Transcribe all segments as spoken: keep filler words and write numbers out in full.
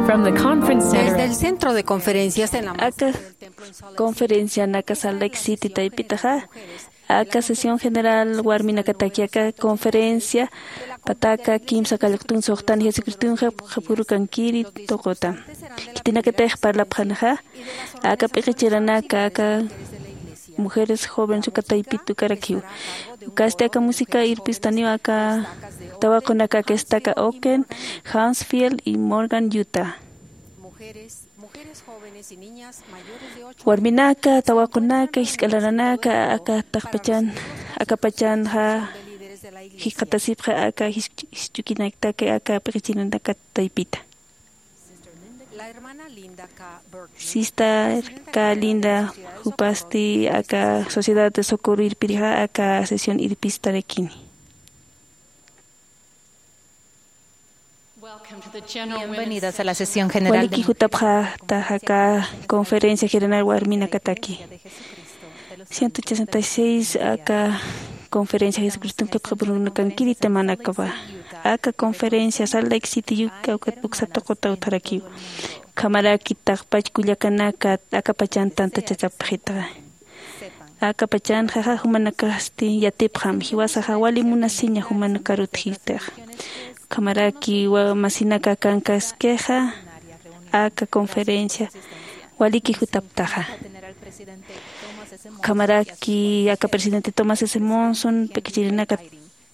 From the conference center. Desde el centro de conferencias en la Aka conferencianaka Salt Lake City taypitaxa, aka sesión general warminakataki aka conferencia pataka kimsa kallqtun suxtan Jesucristunxa qhapürukankiri tuquta. Khitinakatix parlapxanxa, aka p'iqichiranaka, aka mujeres jóvenes uka taypit ukarakiw. Ukasti aka música irpistaniw aka tawaqunaka aka estaca Ogden, Huntsville y Morgan, Utah. Warminaka, tawaqunaka, jisk'a laranaka, aka taqpachan, akapachanxa jikxatasipxi aka jis-, jisch'ukinakataki aka p'iqichiranaka taypita. Sister K. Linda, jupasti aka Sociedad de Socorro irpirixa aka sesión irpistarakini. Welcome to the general women's Bienvenidas a la sesión general de Waliki jutapxäta aka conferencia general warminakataki. Ciento ochenta y seis aka conferencia Jesucriston qhipxapurunakankiri temanakapa. Aka conferencia Salt Lake City, Utah ukat uksa tuquta utjarakiw. Ukhamaraki taqpach kullakanaka akapachan tantachachapxitaxa. Akapachanxa jumanakasti yatipxam, jiwasaxa wali munasiña jumanakar utjitixa. Ukhamaraki wa-, masinaka akankaskixa, aka conferencia waliki jutaptaxa. Ukhamaraki aka presidente Thomas S. Monson, p'iqichirinaka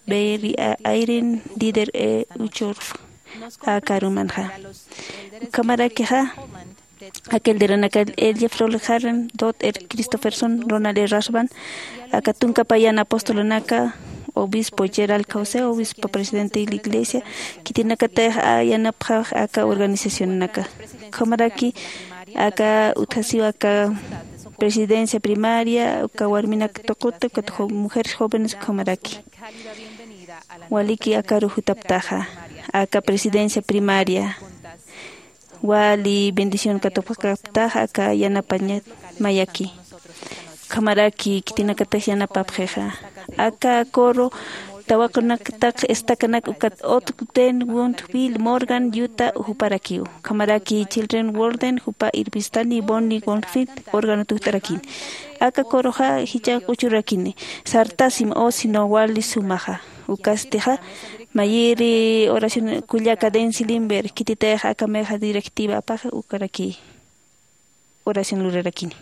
Barry A. Eyring, Dieter E. Uchtdorf, aka arumanxa. Ukhamarakixa, aka elderanaka L. Jeffrey Holland, Todd R. Christofferson, Ronald E. Rasband, aka tunka payan apostolunaka, obispo Gerald Caussé, obispo presidente de la iglesia, khitinakatix yanapxax aka organizacionanaka. Ukhamaraki aka utjasiw aka presidencia primaria, uka warminak tuquta, ukat jo-, mujeres jóvenes ukhamaraki. Waliki akaru jutaptaxa, aka presidencia primaria. Wali bendición katuqaptaxa, aka yanapañat mayaki. Ukhamaraki khitinakatix yanapapxixa. Aka coro tawaqunakataki estakanak ukat Ogden, Huntsville, Morgan, Utah juparakiw. Ukhamaraki Children World jupa irpistani Bonnie Goldfield órgano tukt'arakini. Aka coroxa jichha q'uchurakini. Sartasim o sino wali sumaxa. Ukastixa, mayiri oración kullaka Dency Lindberg, khititix aka mexa directiva apaxa ukaraki oración lurarakini.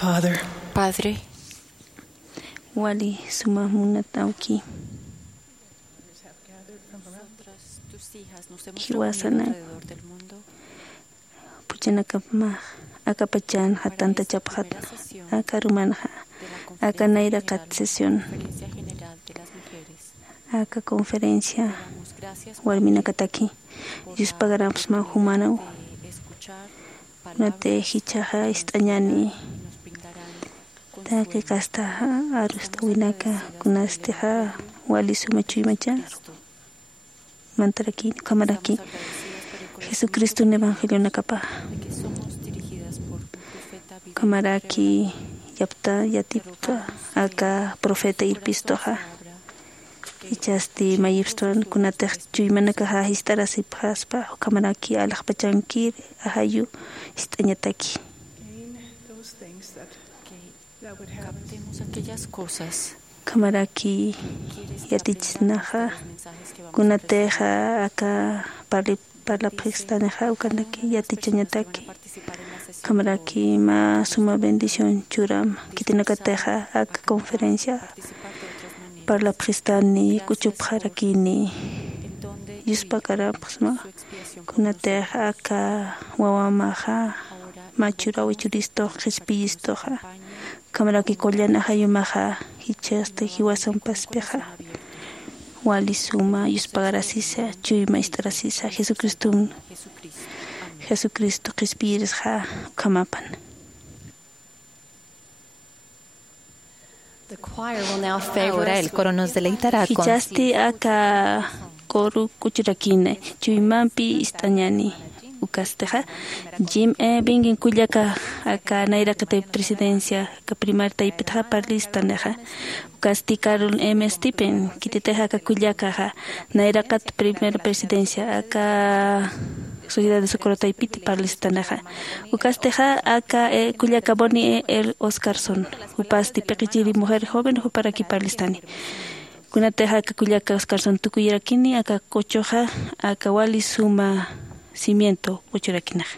Padre, wali suma munat awki, jiwasana puchanakapmax aka pachanxa tantachapxatna, aka arumanxa aka nayraqat sesión, aka conferencia warminakataki. Yuspagaramsma jumanaw. Kunatix jichhaxa ist'añäni taqi kasta arust'awinaka, kunastixa wali suma chuymachar mantaraki, ukhamaraki Jesucriston evangelionakapa, ukhamaraki yapta yatipta aka profeta irpistuxa, jichhasti mayipstwan kunatix chuymanakaxa jist'arasipxaspa, ukhamaraki alaxpachankir ajayu jist'añataki. Ukhamaraki yatichisnaxa kunatixa aka parli parlapxistanixa ukanaki yatichañataki. Ukhamaraki mä suma bendición churam khitinakatixa aka conferencia parlapxistani k'uchupxarakini. Yuspakaramsma kunatix aka wawamaxa mä churawi churistux qhispiyistuxa, ukhamaraki qullan ajayumaxa jichhasti jiwasampaspixa wali suma yuspagarasisa, chuyma ist'arasisa Jesucriston, Jesucristo qhispiyirisxa ukhamapan. Ahora el coro nos deleitará con... Jichhasti aka coro k'uchurakina, chuymampi ist'añäni. Ukastixa Jim E. Bingen kullaka aka nayraqat presidencia aka primer taypitxa parlistanixa. Ukasti Carol M. Stipen, khititix aka kullakaxa nayraqat primer presidencia aka Sociedad de Socorro taypiti parlistanixa. Ukastixa aka, eh, kullaka Bonnie E. L. Oscarson, jupasti P'iqichiri Mujer Joven juparaki parlistani. Kunatix aka kullaka Oscarson tukuyarakini aka k'uchuxa aka wali suma cimiento k'uchurakinaxa.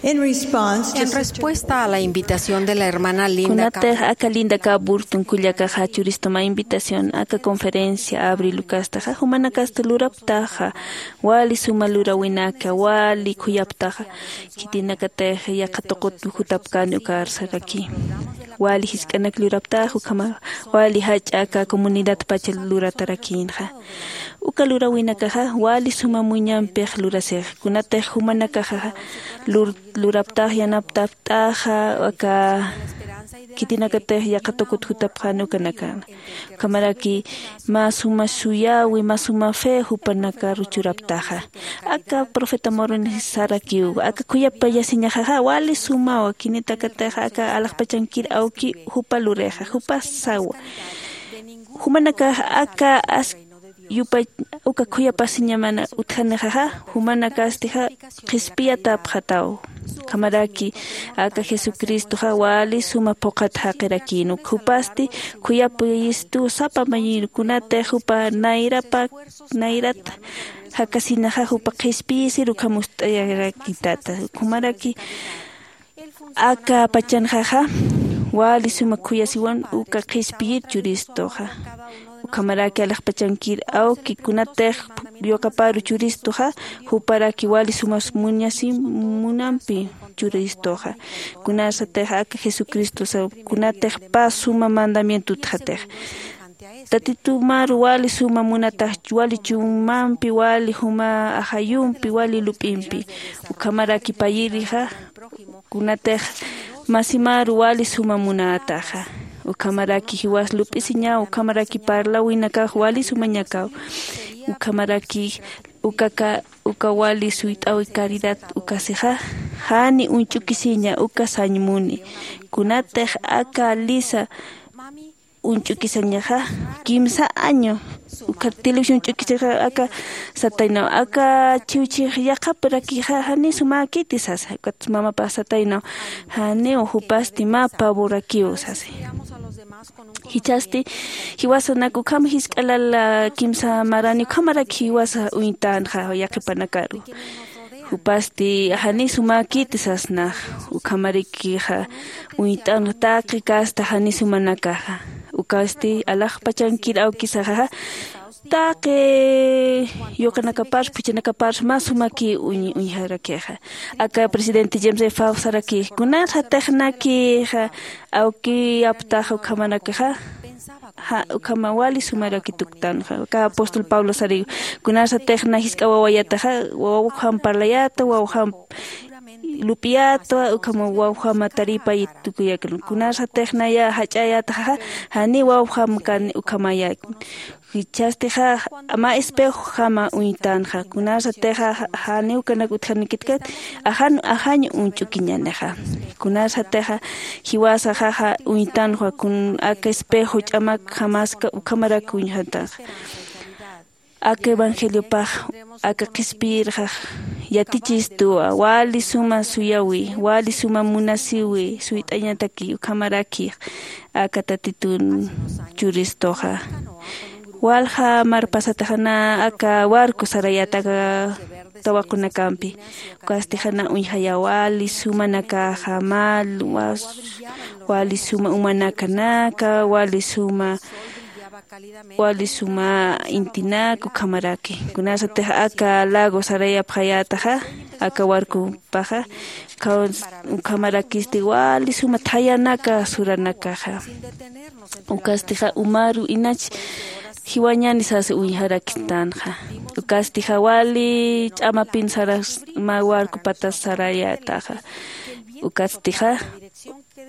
En respuesta a la invitación de la hermana Linda Kunatix aka Linda K Burton kullakaxa churistuma invitación aka conferencia abril ukastaxa jumanakasti luraptaxa, wali suma lurawinaka wali khuyaptaxa, khitinakatix yaqha tuqut jutapkani ukarsarakï. Wali jisk'anak luraptaxa ukhama wali jach'a aka comunidadpacha luratarakïnxa. Uka lurawinakaxa wali suma muñampix lurasix, kunatix jumanakaxa lur- luraptax yanaptaptaxa aka khitinakatix yaqha tuqut jutapxani ukanakana. Ukhamaraki mä suma suyäwi mä suma fe jupanakaru churaptaxa. Aka profeta Moroni sarakiw aka khuyapayasiñaxaxa wali sumawa khinitakatix aka alaxpachankir awki jupa lurixa jupa sawa. Jumanakax aka as- yupay uka khuyapasiñamana utjanixaxa, jumanakastixa qhispiyatapxataw. Ukhamaraki aka Jesucristoxa wali suma phuqhat jaqirakïn, uk jupasti khuyapayistu sapa mayiru kunatix jupa nayrapa nayrat jakasinaxa jupa qhispiyisir ukham ust'ayarakïtata. Ukhamaraki aka pachanxaxa wali suma khuyasiwan uka qhispiyir churistuxa. Ukhamaraki alaxpachankir awki kunatix yuqaparu churistuxa, juparaki wali suma muñasi munampi churistuxa. Kunarsatix aka Jesucristosa kunatix pä suma mandamiento utjatix. Tatitumaru wali suma munatax wali chumampi wali juma ajayumpi wali lup'impi. Ukhamaraki payirixa kunatix masimaru wali suma munataxa. Ukhamaraki jiwas lup'isiñaw ukhamaraki parlawinakax wali sumañakaw. Ukhamaraki ukaka uka wali suyt'awi caridad ukasixa jani uñch'ukisiña uka sañ muni. Kunatix aka lisa uñch'ukisañaxa kimsa año uka televisión ch'ukisixa aka sataynaw aka chiwchix yaqhaparakixa jani sumäkiti sasa ukat mamapax sataynaw. Janiw jupasti mä pavorakiw sasi. Jichhasti jiwasanak ukham jisk'a lala kimsa marani ukhamaraki jiwasa uñtänxa yaqhipanakaru. Jupasti jani sumäkiti sasnax. Ukhamarikixa uñt'anxa taqi kasta jani sumanakaxa. Ukasti alaxpachankir awkisaxaxa taqi yuqanakaparsa phuchhanakaparsa mä sumaki uñ- uñjarakixa. Aka presidente James F Faust sarakix kunarsatixnakixa awkiyaptaxa ukhamanakaxa. Ja ukhama wali sumaraki tuktanxa aka apóstol Pablo sariw. Kunarsatixna jisk'a wawayataxa wawjam parlayata wawjam lup'iyata ukhama wawjama taripay tukuyakan. Kunarsatixnaya jach'ayataxa jani wawjam kan ukhamayaki. Jichhastixa mä espejojama uñtanxa kunarsatixa janiw kanak utjanikitkat ajan ajañ uñch'ukiñanixa. Kunarsatixa jiwasaxaxa uñtanxa kun aka espejo ch'amak jamaska ukhamarak uñjantanxa. Aka evangeliopax aka qhispiyirxax yatichistuwa wali suma suyawi wali suma munasiwi suyt'añataki ukhamaraki aka tatitun churistuxa. Walja marpasataxana aka warku sarayataka tawaqunakampi ukastixana uñjaya wali sumanakaxa mal wali suma umanakanaka wali suma wali suma intinaka ukhamaraki. Kunasatix aka lago sarayapxayataxa aka warkupaxa ukhamarakisti wali suma thayanaka suranakaxa. Ukastixa umaru inach jiwañani sasa uñjaraktanxa. Ukastixa wali ch'amapin saras mä warkupatas sarayataxa. Ukastixa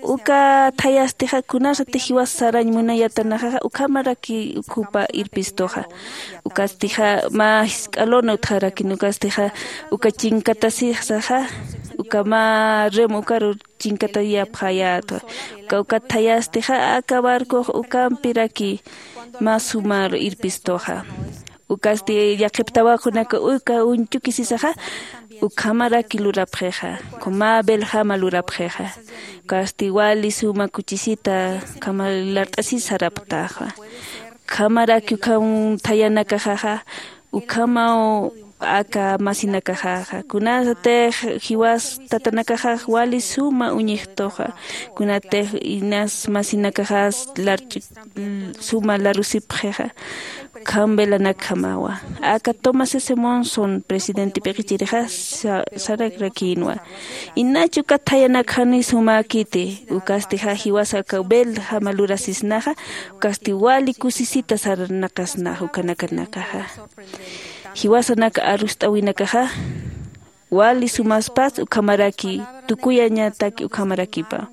uka thayastixa kunasatix jiwas sarañ munayatanaxaxa ukhamaraki ukhupa irpistuxa. Ukastixa mä jisk'a lona utjarakin ukastixa uka chinkatasisaxa uka mä rem ukaru chinkatayapxayätwa. Uka ukat thayastixa aka barcox ukampiraki mä sumar irpistuxa. Ukasti yaqhip tawaqunaka uka uñchukisisaxa ukhamaraki lurapxixa. Ukhama beljama lurapxixa. Ukasti wali suma kuchisita ukhama lart'asisaraptaxa. Ukhamaraki ukham thayanakaxaxa ukhamaw aka masinakaxaxa. Kunasatix jiwas tatanakaxax wali suma uñixtuxa. Kunatix inas masinakaxas larch'ik suma larusipxixa. Ukham velanakjamawa. Aka Thomas S Monson presidente p'iqichirixa sa- sararakïnwa. Inach uka thayanakxani sumäkiti. Ukastixa jiwasa aka velajama lurasisnaxa. Ukasti wali kusisita saranakasnaxa ukanakanakaxa. Jiwasanaka arust'äwinakaxa wali sumaspas ukhamaraki tukuyañataki ukhamarakipa.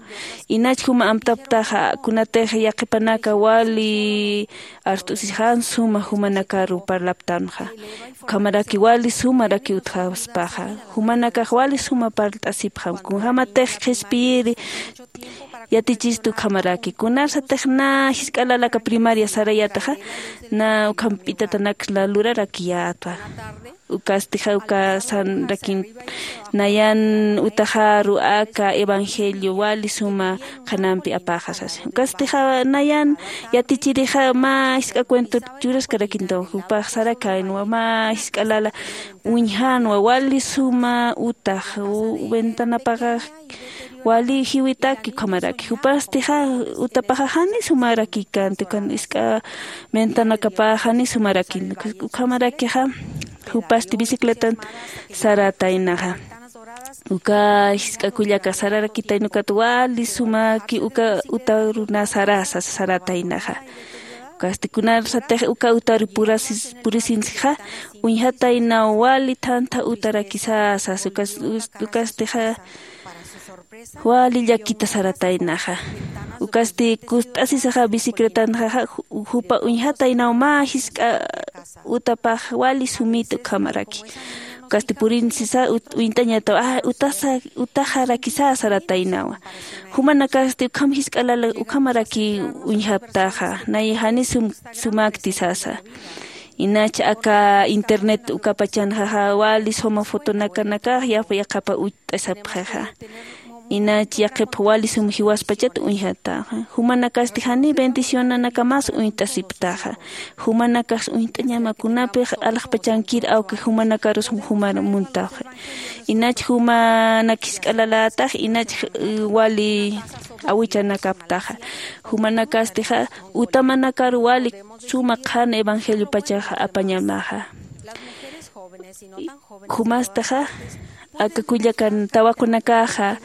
Inach juma amtaptaxa kunatix yaqhipanaka wali arst'usisxan suma jumanakaru parlaptanxa. Ukhamaraki wali sumaraki utjaspaxa. Jumanakax wali suma parlt'asipxam kunjamatix qhispiyiri yatichistu ukhamaraki. Kunarsatix na jisk'a lala aka primaria sarayataxa na ukham p'itatanak lurarakiyäta. Ukastixa uka sanrakin nayan utaxaru aka evangelio wali suma qhanampi apaxa sasa. Ukastixa nayan yatichirixa mä jisk'a cuento churaskarakintaw jupax sarakäynwa mä jisk'a lala uñjanwa wali suma utax u- ventanapaxa wali jiwitaki ukhamaraki. Jupastixa utapaxa jani sumaraki kanti ukan jisk'a ventanakapaxa jani sumaraki. Ukhamarakixa jupasti bicicletan sarataynaxa. Uka jisk'a kullaka sararakitayna ukat wali sumaki uka utaruna sarasa sarataynaxa. Ukasti kunarsatix uka utaru purasis- purisinsixa uñjataynaw wali thantha utarakisasas ukas- us- ukastixa wali llakita sarataynaxa. Ukasti kust'asisaxa bicicletanxaxa ju- jupa uñjataynaw mä jisk'a utapax wali sumita ukhamaraki. Ukasti purinsisa ut- uñt'añataw a utasa utaxarakisa sarataynawa. Jumanakasti ukham jisk'a lala ukhamaraki uñjaptaxa nay jani sum- sumakti sasa. Inach aka internet ukapachanxaxa wali suma fotonakanakax yaqhapa ucht'asapxixa. Inach yaqhipxa wali sum jiwaspachat uñjataxa. Jumanakasti jani bendicionanakamas uñt'asiptaxa. Jumanakax uñt'añama kunapix alaxpachankir awki jumanakarus jumar muntaxa. Inach jumanak jisk'a lalätax inach wali awichanakaptaxa. Jumanakastixa utamanakar wali suma qhan evangeliopachaxa apañamaxa. Jumastaxa aka kullakan tawakunakaxa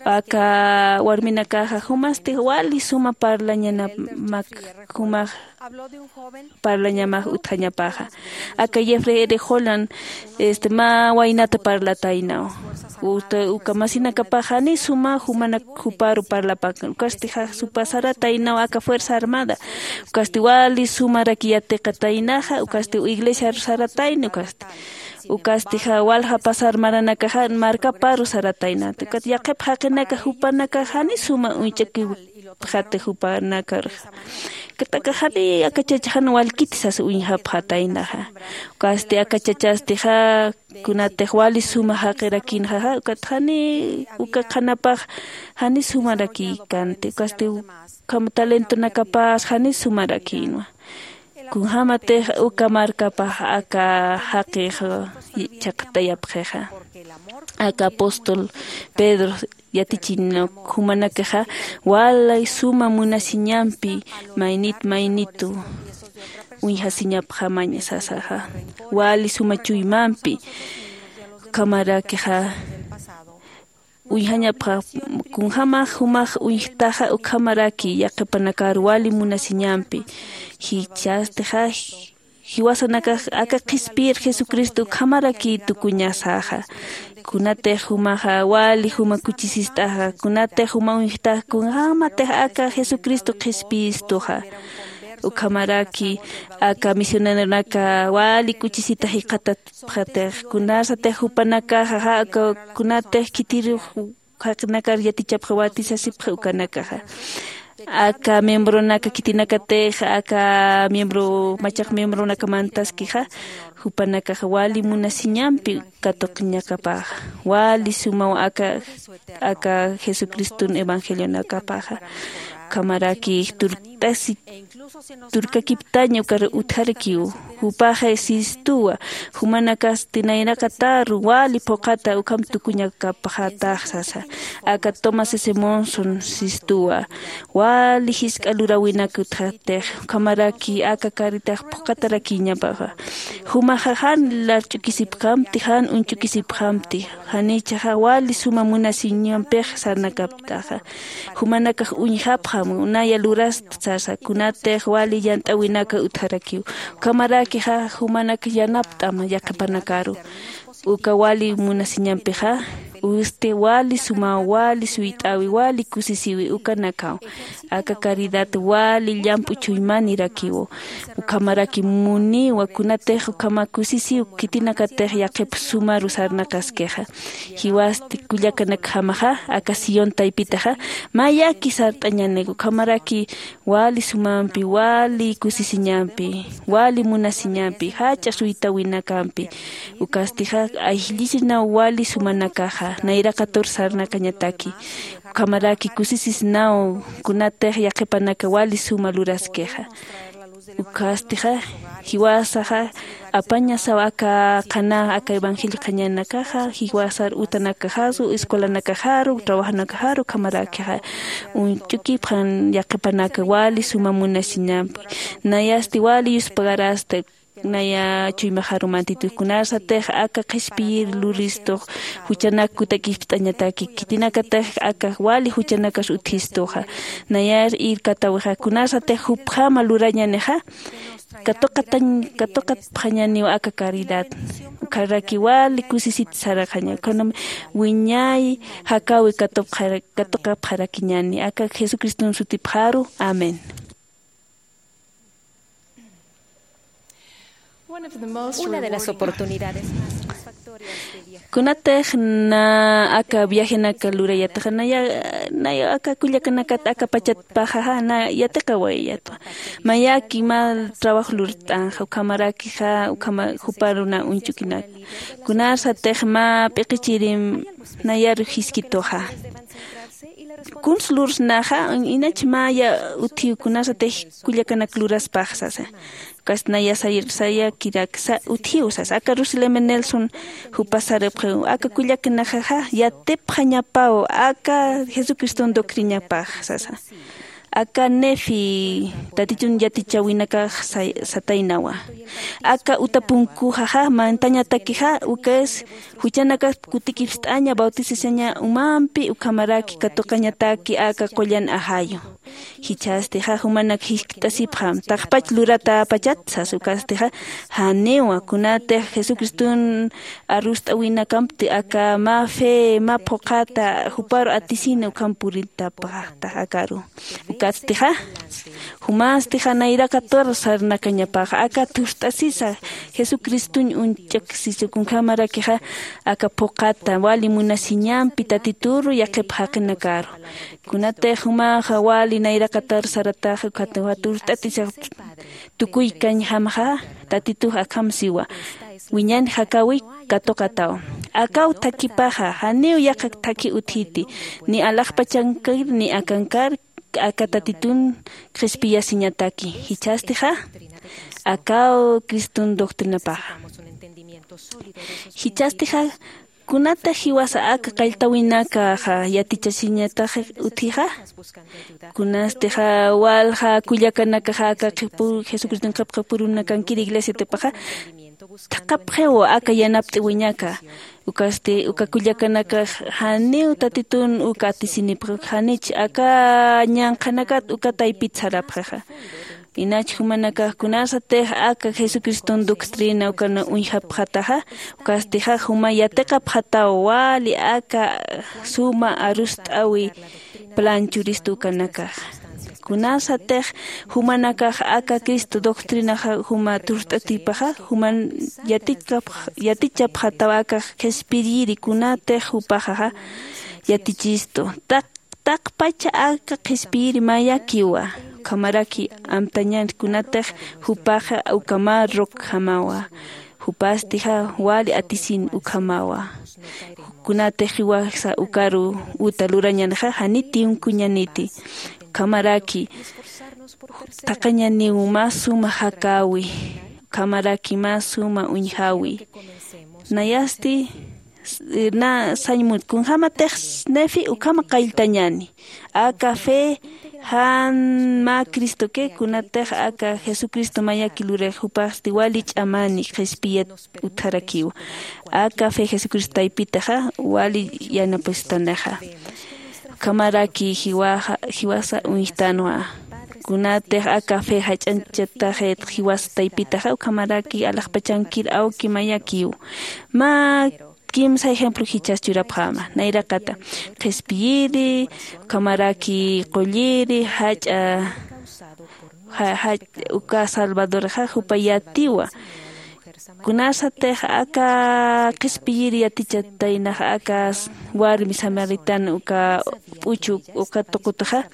aka warminakaxa jumasti wali suma parlañanamak jumax parlañamax utjañapaxa. Aka Jeffrey R Holland este mä waynata parlataynaw. Uka masinakapax jani suma jumanak juparu parlapakan ukastixa supasarataynaw aka fuerza armada. Ukasti wali sumaraki yatiqataynaxa ukasti iglesiaru saratayna ukasti. Ukastixa walja pasar maranakaxa markaparu sarataynata ukat yaqhip jaqinaka jupanakax jani suma uñch'akiw jati jupanakarxa. Kataka jani aka chachaxan walkiti sasa uñjapxataynaxa. Ukasti aka chachastixa kunatix wali suma jaqirakinxaxa ukat jani uka qhanapax jani sumarakïkanti ukasti ukham talentonakapas jani sumarakïnwa. Kunjämatix uka markapax aka jaqix chhaqtayapxixa. Aka apóstol Pedro yatichina jumanakaxa wali suma munasiñampi maynit maynitu uñjasiñapxamaña sasaxa. Wali suma chuymampi ukhamarakixa uñjañapxa kunjämax jumax uñjtaxa ukhamaraki yaqhipanakar wali munasiñampi jichhastixa jiwasanakax aka qhispiyir jesucristo ukhamaraki tukuñasaxa. Kunatix jumaxa wali juma kuchisist'axa kunatix juma uñjtax kunjämatix aka jesucristo qhispiyistuxa. Ukhamaraki aka misioneronaka wali kuchisita jikxatapxatix kunasatix jupanakaxa aka kunatix khitirux jaqinakar yatichapxi watisasipxi ukanakaxa. Aka miembronaka khitinakatix aka miembro machaq miembronaka mantaskixa jupanakaxa wali munasiñampi katuqñakapaxa wali sumaw aka aka jesucriston evangelionakapaxa. Ukhamaraki turt'asi turkakiptaña ukar utjarakiw. Jupaxa sistuwa, jumanakasti nayraqatar wali phuqhata ukham tukuñakapxatax sasa. Aka Thomas S Monson sistuwa, wali jisk'a luräwinak utjatix, ukhamaraki aka karitax phuqhatarakiñapaxa. Jumaxa jan larch'ukisipxamti, jan uñch'ukisipxamti, janichaxa wali suma munasiñampix sarnakaptaxa. Jumanakax uñjapxam, naya lurasta sasa, kunatix wali yant'äwinaka utjarakiw. Ukhamarakixa jumanak yanapt'am yaqhipanakaru. Uka wali munasiñampixa, usti wali sumaw, wali suyt'äwi, wali kusisiwi ukanakaw. Aka caridad wali llamp'u chuymanirakiw. Ukhamaraki muniwa, kunatix ukhama kusisiw khitinakatix yaqhip sumaru sarnaqaskixa. Jiwasti kullakanakjamaxa, aka Sión taypitaxa, mayaki sart'añäniw, ukhamaraki wali sumampi, wali kusisiñampi, wali munasiñampi, jach'a suytäwinakampi. Ukastixa, ayllisinaw wali sumanakaxa, nayraqatur sarnaqañataki. Ukhamaraki kusisisnaw, kunatix yaqhipanaka wali suma luraskixa. Ukastixa, jiwasaxa, apañasaw aka qhana, aka evangelio qhañanakaxa, jiwasar utanakaxaru, escuelanakaxaru, trabajonakaxaru, ukhamarakixa, uñch'ukipxam yaqhipanaka wali suma munasiñampi. Nayasti wali yuspagarasta, naya chuymaxaru mantituxa, kunarsatix aka qhispiyir luristux, juchanak kutakipt'añataki, khitinakatix aka wali juchanakas utjistuxa. Nayar irkatäwixa, kunarsatix jupjama lurañänixa, katuqatañ-, katuqatpxañäniw aka caridad. Ukharaki wali kusisit sarxaña, ukhanam wiñay jakäwi katupxara-, katuqapxarakiñäni, aka Jesucriston sutipxaru. Amén. Una de las oportunidades más satisfactorias de viajar. Kunatix na aka viajenaka lurayataxa, naya, naya aka kullakanakat aka pachatpaxaxa, na yatiqawayatwa. Mayaki mä trabajo lurt'anxa, ukhamarakixa, ukhama juparu na uñch'ukinaka. Kunarsatix mä p'iqichirim nayaru jiskituxa. Kuns lursnaxa, inach maya utjiw kunarsatix kullakanak luraspax sasa. Ukasti naya say-, sayakiraksa utjiw sasa. Aka Russell M Nelson jupas sarapxiw, aka kullakanaxaxa yatipxañapaw aka Jesucriston doctrinapax sasa. Aka Nefi Tatitun yatichäwinakax say-, sataynawa. Aka uta punkuxaxa mantañatakixa, ukas juchanakas kutikipst'aña, bautizasaña umampi, ukhamaraki katuqañataki aka qullan ajayu. Jichhastixa jumanak jiskt'asipxam, taqpach luratäpachat sas, ukastixa janiwa, kunatix Jesucriston arust'äwinakampti aka mä fe, mä phuqhata juparu atisina ukham puritapaxta akaru. Ukastixa, jumastixa nayraqatur sarnaqañapaxa, aka turt'asisa Jesucristoñ uñch'aksisa, kunjamarakixa aka phuqhata wali munasiñampi Tatituru yaqhip jaqinakaru. Kunatix jumaxa wali nayraqatar sarataxa, ukat turt'atisa tukuykañjamaxa, Tatitux akham siwa. Wiñan jakäwi katuqataw. Akaw thakipaxa, janiw yaqha thakhi utjiti, ni alaxpachankir, ni akankar, aka Tatitun qhispiyasiñataki. Jichhastixa, akaw Criston doctrinapaxa. Jichhastixa, kunatix jiwasa aka qalltäwinakaxa yatichasiñatax utjixa? Kunastixa walja kullakanakaxa aka qhipu-, Jesucriston qhipqapurunakankiru iglesia tipaxa, thaqhapxiw aka yanapt'äwiñaka. Ukasti, uka kullakanakax janiw Tatitun uka atisinipxi, janich aka ñanqhanakat uka taypit sarapxixa. Inach jumanakax kunarsatix aka Jesucriston doctrina ukan uñjapxataxa, ukastixa juma yatiqapxataw wali aka suma arust'äwi plan churistu ukanakax. Kunarsatix jumanakax aka Cristo doctrinaxa juma turt'atipaxa, juman yatichkapx-, yatichapxataw aka qhispiyiri kunatix jupaxaxa yatichistu. Taq-, taqpacha aka qhispiyiri mayakiwa, ukhamaraki amtañan kunatix jupaxa uka mä rockjamawa. Jupastixa wali atisin ukhamawa. Kunatix jiwasa ukaru uta lurañänixa, janit tiempoñäniti. Ukhamaraki, Thaqhañaniw mä suma jakäwi, ukhamaraki mä suma uñjäwi. Nayasti s- na sañ mut kunjämatix nefi ukhama qalltañäni. Aka fe jan mä cristoki kunatix aka jesucristo mayaki lurix jupasti wali ch'amäni qhispiyat utjarakiw. Aka fe jesucristo taypitaxa wali yanapustanixa. Ukhamaraki jiwaxa jiwasa uñjtanwa. Kunatix aka fe jach'anchataxit jiwasa taypitaxa ukhamaraki alaxpachankir awki mayakiw. Mä kimsa ejemplo jichhas churapxäma nayraqata qhispiyiri ukhamaraki qulliri jach'a ja- jach- uka salvadorxa jupa yatiwa. Kunasatix aka qhispiyiri yatichataynax aka warmi samaritana uka p'uchu uka tuqutaxa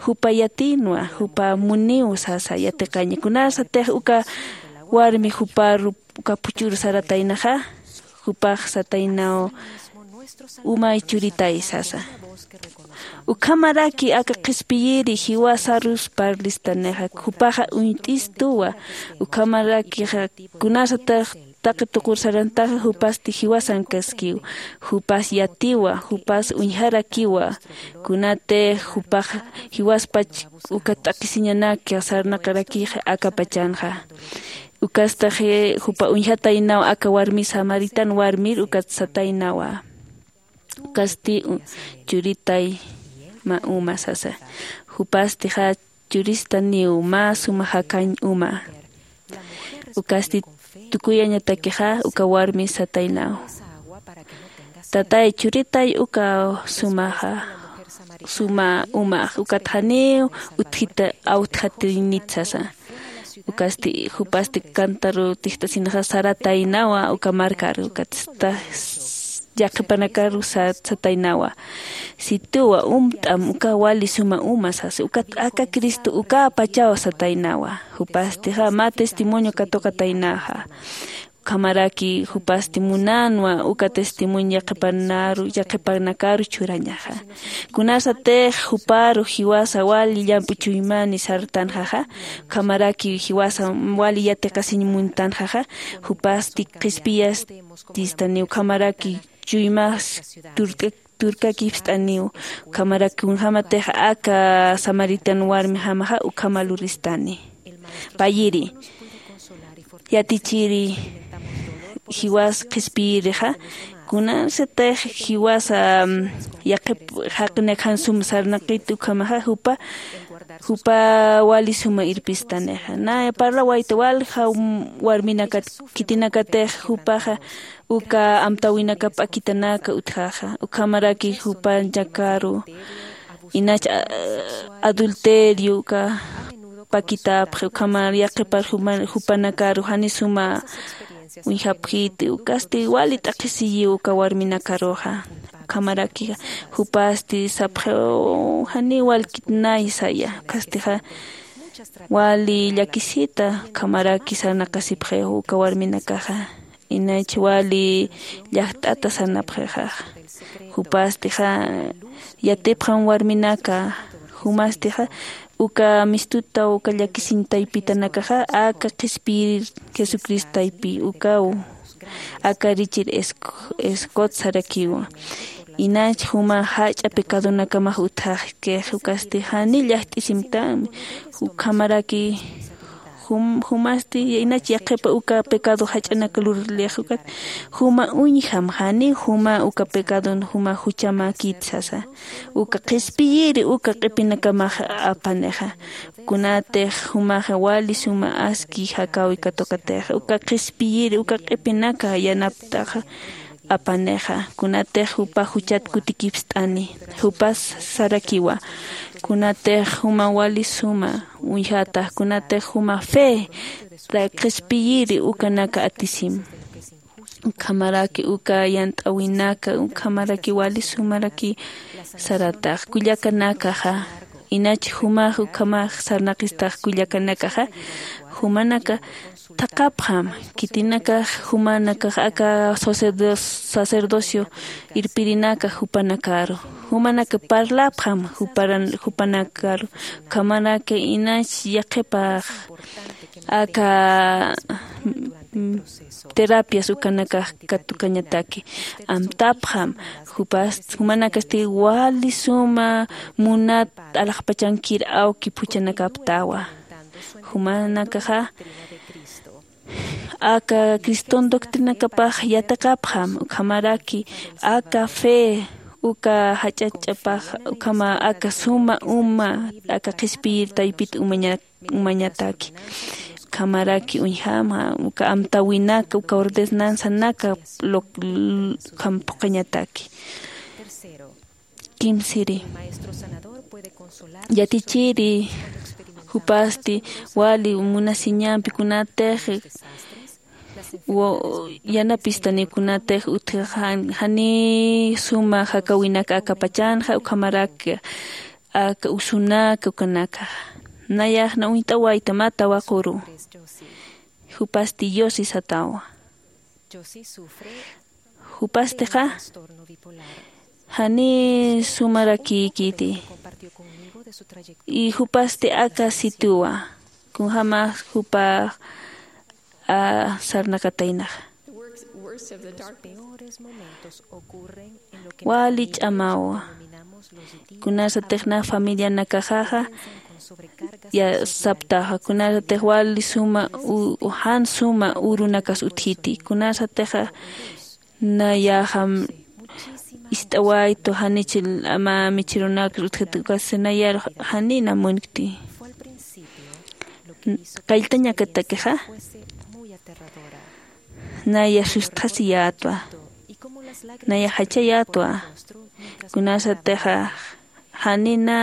jupa yatinwa jupa muniw sasa yatiqaña kunasatix uka warmi juparu uka p'uchuru sarataynaxa jupax sataynaw umay churitay sasa. Ukhamaraki aka qhispiyiri jiwasarus parlistanixa jupaxa uñt'istuwa. Ukhamarakixa kunasatix taqi tuqur sarantaxa jupasti jiwasankaskiw. Jupas yatiwa jupas uñjarakiwa. Kunatix jupax jiwaspach uka t'aqhisiñanaki sarnaqarakixa akapachanxa. Ukastaxi jupa uñjataynaw aka warmi samaritan warmir ukat sataynawa. Ukasti churitay mä uma sasa. Jupastixa churistaniw mä suma jakañ uma. Ukasti tukuyañatakixa uka warmi sataynaw, tatay churitay uka sumaxa suma umax ukat janiw utjita awtjatirinit sasa. Ukasti jupasti kantaru tijt'asinaxa sarataynawa uka markaru ukatsta yaqhipanakaru sat sataynawa. Situwa umt'am uka wali suma uma sasa ukat aka cristo ukapachaw sataynawa. Jupastixa mä testimonio katuqataynaxa. Ukhamaraki jupasti munanwa uka testimonio yaqhipanaru yaqhipanakaru churañaxa. Kunasatix juparu jiwasa wali llamp'u chuymani sartanxaxa ukhamaraki jiwasa wali yatiqasiñ muntanxaxa. Jupasti qhispiyastistani ukhamaraki chuymas turt'ak turkakipst'aniw. Ukhamaraki kunjämatix aka samaritan warmijamaxa ukhama luristani. Payiri yatichiri jiwas qhispiyirixa kunasatix jiwasa yaqhip jaqinakjan sum sarnaqit ukhamaxa jupa jupa wali suma irpistanixa na parlawayta walja warminakat khitinakatix jupaxa uka amtäwinakap p'akitanaka utjaxa ukhamaraki jupanakaru inach adulterio uka pakitapxi ukhamar yaqhipar jupanakaru jani suma uñjapxiti ukasti wali t'aqhisiyiw uka warminakaruxa. Ukhamaraki jupasti sapxiw jani walkit nay saya ukastixa wali llakisita ukhamaraki sarnaqasipxiw uka warminakaxa. Inach wali llajt'ata sarnapxixaxa. Jupastixa yatipxam warminaka jumastixa uka mistuta uka llakisiñ taypitanakaxa aka qhispiyir jesucristo taypi ukaw aka richir escot sarakiwa. Inach juma jach'a pecadonakamax utjaxkix ukasti jani llajt'isimtami. Ukhamaraki jumasti inach yaqhipa uka pecado jach'anaka lurlix ukat juma uñjam jani juma uka pecadon juma juchamäkit sasa. Uka qhispiyiri uka q'ipinakamax apanixa. Kunatix jumaxa wali suma aski jakäwi katuqatixa uka qhispiyiri uka q'ipinaka yanaptaxa apanixa. Kunatix jupa juchat kutikipst'ani jupas sarakiwa. Kunatix juma wali suma uñjatax kunatix juma fe qhispiyiri ukanaka atisim. Ukhamaraki uka yant'äwinaka ukhamaraki wali sumaraki saratax kullakanakaxa. inach jumax ukhamax sarnaqistax kullakanakaxa, jumanaka thaqhapxam, khitinakax jumanakax aka sacerdo- sacerdocio irpirinaka jupanakaru, jumanaka parlapxam juparan- jupanakaru, ukhamaraki inach yaqhipax aka mm, terapias ukanakax katukañataki. Amtapxam, jupas jumanakasti wali suma munat alaxpachankir awki phuchhanakaptawa. Jumanakaxa aka criston doctrinakapax yatiqapxam, ukhamaraki aka fe uka jach'ach'apax ukhama aka suma uma aka qhispiyir taypit umaña- umañataki. Ukhamaraki uñjama uka amtäwinaka uka ordenanzanaka lo- ukham phuqhañataki. Kimsiri, yatichiri jupasti wali munasiñampi kunatix wa- yanapistani kunatix utjix jan- janiy suma jakäwinaka aka pachanxa ukhamarak aka usunak ukanakaxa. Nayax na uñt'awayta mä tawaquru. Jupasti Yossi satawa. Jupastixa janiy sumarakïkiti. Y jupasti aka sitiwa kunjämax jupax sarnaqataynaxa. Wali ch'amawa. Kunasatix na familianakaxaxa ya saptaxa kunasatix wali suma jan suma urunakas utjiti kunasatixa nayaxam ist'awaytu janichi mä michirunakar utjiti ukasti nayar janina munkti. Qalltañakatakixa naya sustxasiyätwa. Naya jachayätwa. Kunasatixa janina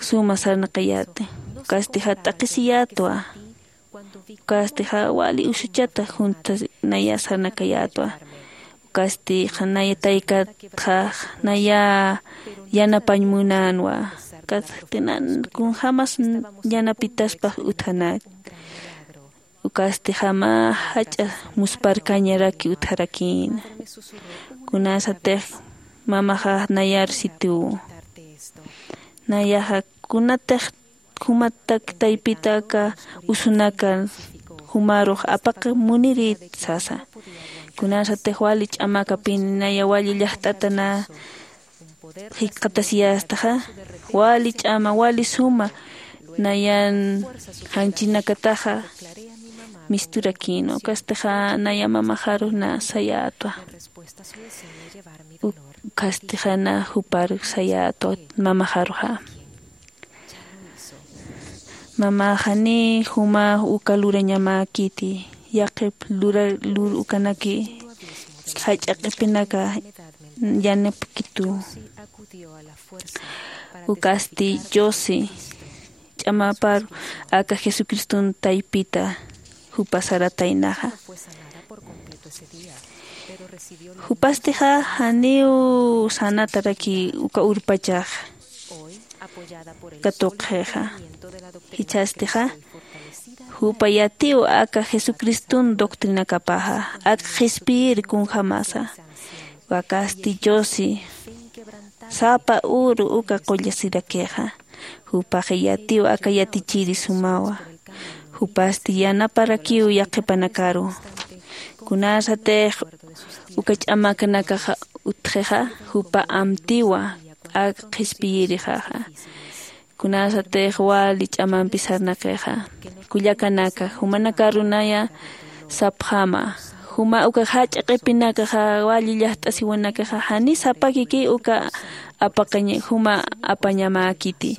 suma sarnaqayäti. Ukasti jatt'aqisiyätwa. Ukasti ja wali usuchata junta naya sarnakayätwa. Ukasti ja naya taykatxa naya yanapañ munänwa. Ukasti kunjämas yanapitaspax utjanat. Ukasti jama jach'a musparkañaraki utjarakïna. Kunasatix mamaxa nayar sitiw nayaxa kunatix jumatak taypita aka usunakan jumarux apaq munirit sasa. Kunasatix wali ch'amakapin naya wali llaxt'atana jikxatasiyästaxa wali ch'ama wali suma nayan janchinakataxa misturakïna. Ukastixa naya mamaxarux na sayätwa. Ukastixa na jupar sayätwa mamaxaruxa. Mamaxani juma uka lurañamäkiti yaqhip lura lur ukanaki jach'a q'ipinaka yanapkitu. Ukasti diosi ch'amaparu aka jesucriston taypita jupa sarataynaxa. Jupastixa janiw sanataraki uka urpachax katuqxixa. Jichhastixa jupa yatiw aka jesucriston doctrinakapaxa aka qhispiyir kunjämasa. Wakasti diosi sapa uru uka qullasirakixa. Jupax yatiw aka yatichiri sumawa. Jupasti yanaparakiw yaqhipanakaru. Kunasatix uka ch'amakanakaxa utjixa jupa amtiwa aka qhispiyirixaxa. Kunasatix wali ch'amampi sarnaqixa. Kullakanaka jumanakaru naya sapxäma juma uka jach'a q'ipinakaxa wali llaxt'asiwanakaxa jani sapakiki uka apaqañ juma apañamäkiti.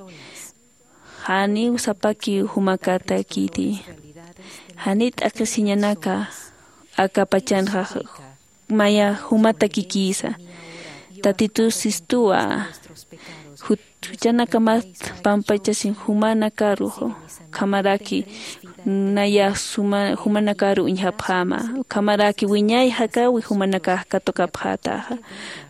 Janiw sapakiw jumakätäkiti. Jani t'aqhisiñanaka aka pachanxa maya jumatakikisa. Tatitus sistuwa juchanakamat pampachasin jumanakaru ukhamaraki naya suma jumanakaru uñjapxäma. Ukhamaraki wiñay jakawi jumanakax katukapxätaxa.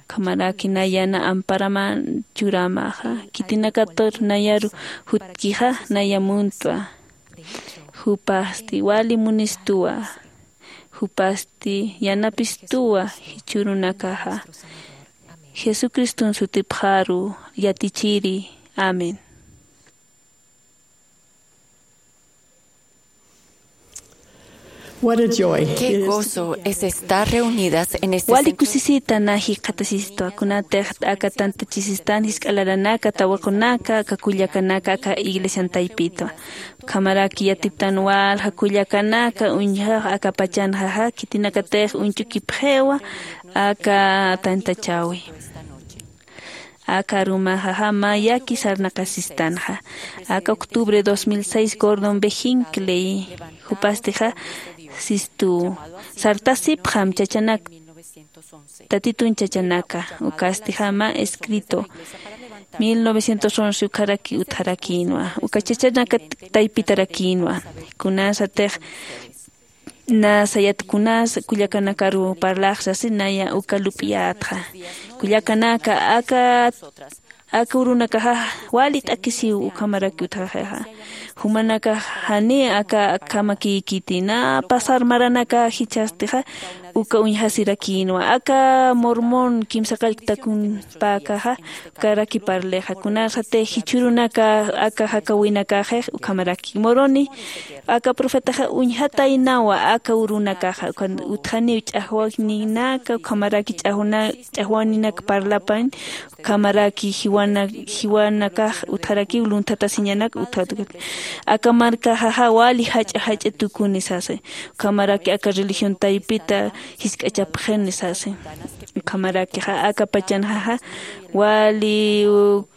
Ukhamaraki nayana amparaman churämaxa. Khitinakatur nayaru jutkixa naya muntwa. Jupasti wali munistuwa. Jupasti yanapistuwa jichhürunakaxa. Jesucriston sutipxaru yatichiri. Amén. What a joy. Qué gozo es estar reunidas en este wali centro. Kusisita na jikxatasistwa, kunatix aka tantachisistan jisk'alaranaka, tawaqunaka, aka kullakanaka, aka iglesian taypitwa. Ukhamaraki yatiptan walja kullakanaka uñjax aka pachanxaxa, khitinakatix uñchukipxiwa aka tantachäwi. Aka arumaxaxa mä yaki sarnaqasistanxa. Aka octubre dos mil seis Gordon B. Hinckley jupastixa sistu sartasipxam chachanak, Tatitun chachanaka, ukastixa mä escrito mil novecientos once ukharaki utjarakïnwa, uka chachanaka taypitarakïnwa. Kunasatix nasa yat kunas kullakanakaru parlax sasi naya uka lup'iyätxa. Kullakanaka, aka aka urunakaxa wali t'akisiw ukhamaraki utjaxixa. Jumanakax janiy aka akhamakïkiti, nä pasar maranaka jichhastixa uka uñjasirakïnwa. Aka Mormon kimsa qallqtakunpäkaxa ukaraki parlixa. Kunasatix jichhürunaka aka jakawinakaxix ukhamaraki Moroni aka profetaxa uñjataynawa aka urunakaxa, ukan utjaniw ch'axwaninaka, ukhamaraki ch'axwaninak parlapañ, ukhamaraki jiwana-, jiwanakax utjarakiw lunthatasiñanak utjarakiw. Aka markaxaxa wali jach'a jach'a tukuni sasi, ukhamaraki aka religión taypita jisk'achapxini sasi. Ukhamarakixa aka pachanxaxa wali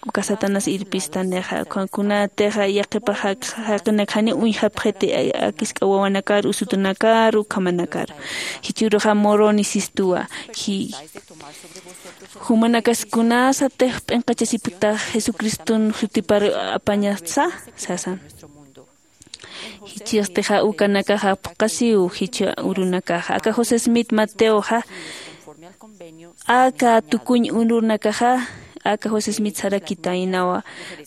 uka Satanás irpistanixa, kunatixa yaqipax jaq-, jaqinak janiw uñjapxiti, a-, akisk'a wawanakar, usutunakar, ukhamanakar. Jichhüruxa Moroni sistuwa, ji-, jumanakas kunasatix p'inqachasipktax Jesucriston jutipar apañasa, sasan. Jichhastixa ukanakaxa phuqasiw jichha urunakaxa. Aka José Smith Mateoxa, aka tukuñ urunakaxa, aka José Smith sarakitaynawa.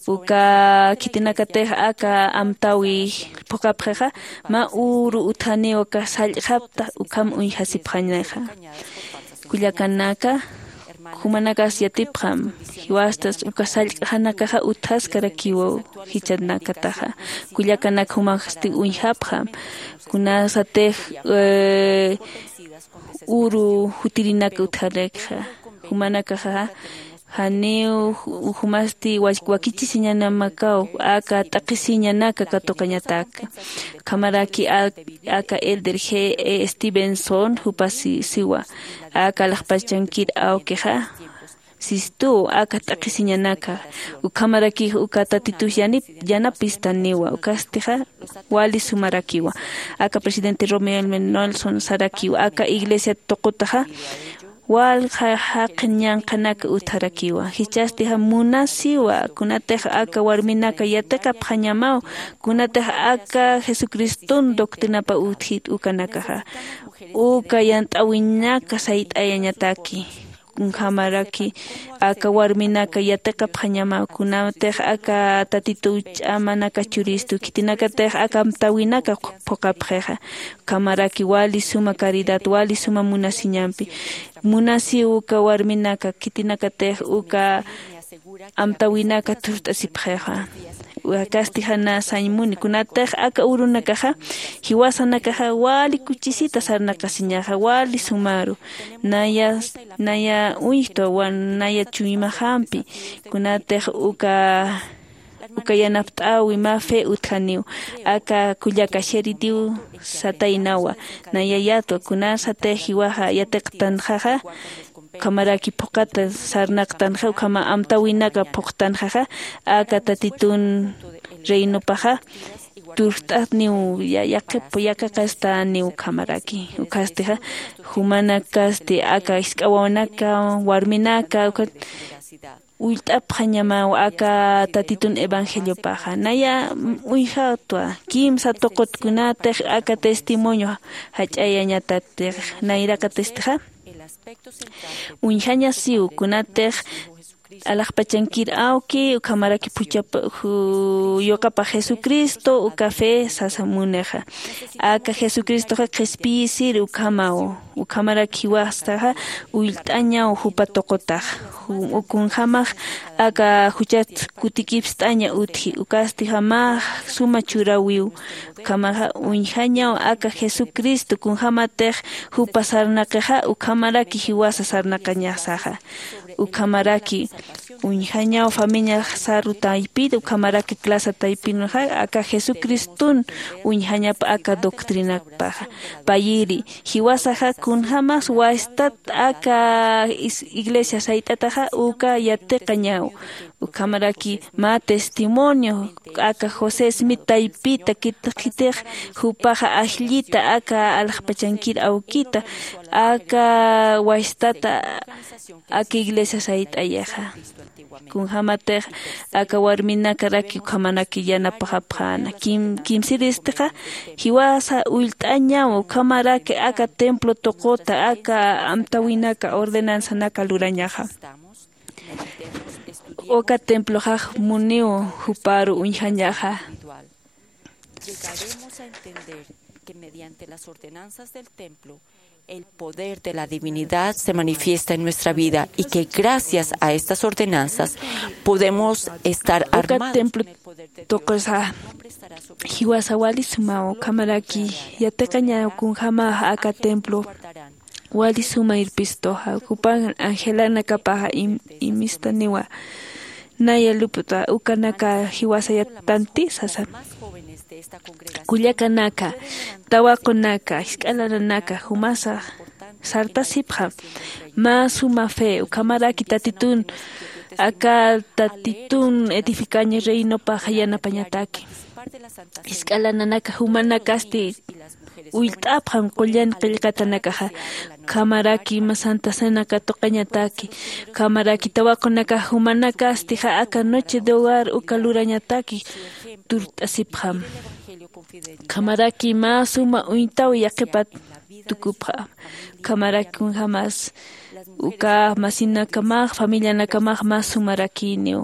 Uka khitinakatix aka amtäwi phuqapxixa, mä uru utjaniw aka sallq'xapta, ukham uñjasipxañaxa. Kullakanaka, jumanakas yatipxam, jiwastas uka sallq'xanakaxa utjaskarakiwa jichhanakataxa. Kullakanak jumasti uñjapxam, kunasatix, eh, uru jutirinak utjarikxa. Jumanakaxa, janiw ju-, jumasti wa-, wakichisiñanamakaw, aka t'aqhisiñanaka katuqañataka. Ukhamaraki a-, aka Elder G. E. Stevenson, jupas si-, siwa, aka alaxpachankir awkixa, sistu, aka t'aqhisiñanaka, ukhamaraki uka Tatitux yanip-, yanapistaniwa, ukastixa wali sumarakiwa. Aka presidente Russell M. Nelson sarakiwa, aka iglesia tuqutaxa, walja jaqin ñanqhanak utjarakiwa. Jichhastixa munasiwa, kunatix aka warminaka yatiqapxañamaw, kunatix aka Jesucriston doctrinapa utjit ukanakaxa. Uka yant'äwinaka sayt'ayañataki. Ukhamaraki aka warminaka yatiqapxañamaw, kunatix aka Tatitu ch'amanaka churistu, khitinakatix aka amtäwinaka phuqapxixa. Ukhamaraki wali suma caridad, wali suma munasiñampi. Munasiw uka warminaka, khitinakatix uka amtäwinaka thurt'asipxixa. Akasti jana sañ muni, kunatix aka urunakaxa, jiwasanakaxa wali kuchisita sarnaqasiñaxa, wali sumaru. Naya, naya uñjtwa, wan-, naya chuymaxampi, kunatix uka uka yanapt'äwi mä fe utjaniw, aka kullaka xiritiw sataynawa, naya yatwa, kunasatix jiwaxa yatiqtanxaxa, ukhamaraki phuqata sarnaqtanxa, ukhama amtäwinaka phuqtanxaxa, aka Tatitun reinopaxa, thurt'atniw ya-, yaqip-, yaqhiqastaniw ukhamaraki, ukhastixa, jumanakasti, aka jisk'a wawanaka, warminaka, uka ullt'apxañamaw aka Tatitun evangeliopaxa. Naya uñjatwa kimsa tuqutkunatix aka testimonio jach'ayañatatix, nayraqatistixa uñjañasiw kunatix alaxpachankir awki ukhamaraki phuchhapa yuqapa Jesucristo uka fe sasa munixa. Aka Jesucristoxa qhispiyisir ukhamaw, ukhamaraki jiwasaxa ullt'añaw jupa tuqutax. Kunjämax aka juchat kutikipst'aña utji, ukastixa mä suma churawiw. Ukhamaxa uñjañaw aka Jesucristo kunjämatix jupa sarnaqixa ukhamaraki jiwasa sarnaqañasaxa. Ukhamaraki uñjañaw familia saru taypit ukhamaraki clase taypinxa aka Jesucristun uñjañapa aka doctrinakpaxa. Payiri jiwasaxa kunjämas wastat aka iglesia sayt'ataxa uka yatiqañaw. Ukhamaraki mä testimonio aka José Smith taypita khitix jupaxa ajllita aka alaxpachankir awkita aka wastata aka iglesia sayt'ayaxa. Kunjämatix aka warminakaraki ukhamanaki yanapaxapxäna kimsiristixa jiwasa ullt'añaw ukhamaraki aka templo tuquta aka amtäwinaka ordenanzanaka lurañaxa. Uka temploxax muniw juparu uñjañaxa. Llegaremos a entender que mediante las ordenanzas del templo el poder de la divinidad se manifiesta en nuestra vida y que gracias a estas ordenanzas podemos estar armados. Uka templo tuqusa jiwasa wali sumaw ukhamaraki yatiqañaw kunjämax aka templo wali suma irpistuxa. Jupan angelanakapaxa imistaniwa naya lup'ta ukanaka jiwasa yatanti sasa. Kullakanaka, tawaqunaka, jisk'a lananaka jumasa sartasipxam. Mä suma fe ukhamaraki Tatitun aka Tatitun edificaña reinopax yanapañataki. Jisk'a lananaka jumanakasti ullt'apxam qullan qillqatanakaxa. Ukhamaraki mä santa cena katuqañataki. Ukhamaraki tawaqunakax jumanakastixa aka noche de hogar uka lurañataki turt'asipxam. Ukhamaraki mä suma uñtaw yaqhipat tukupxam. Ukhamaraki kunjämas uka masinakamax familianakamax mä sumarakiniw.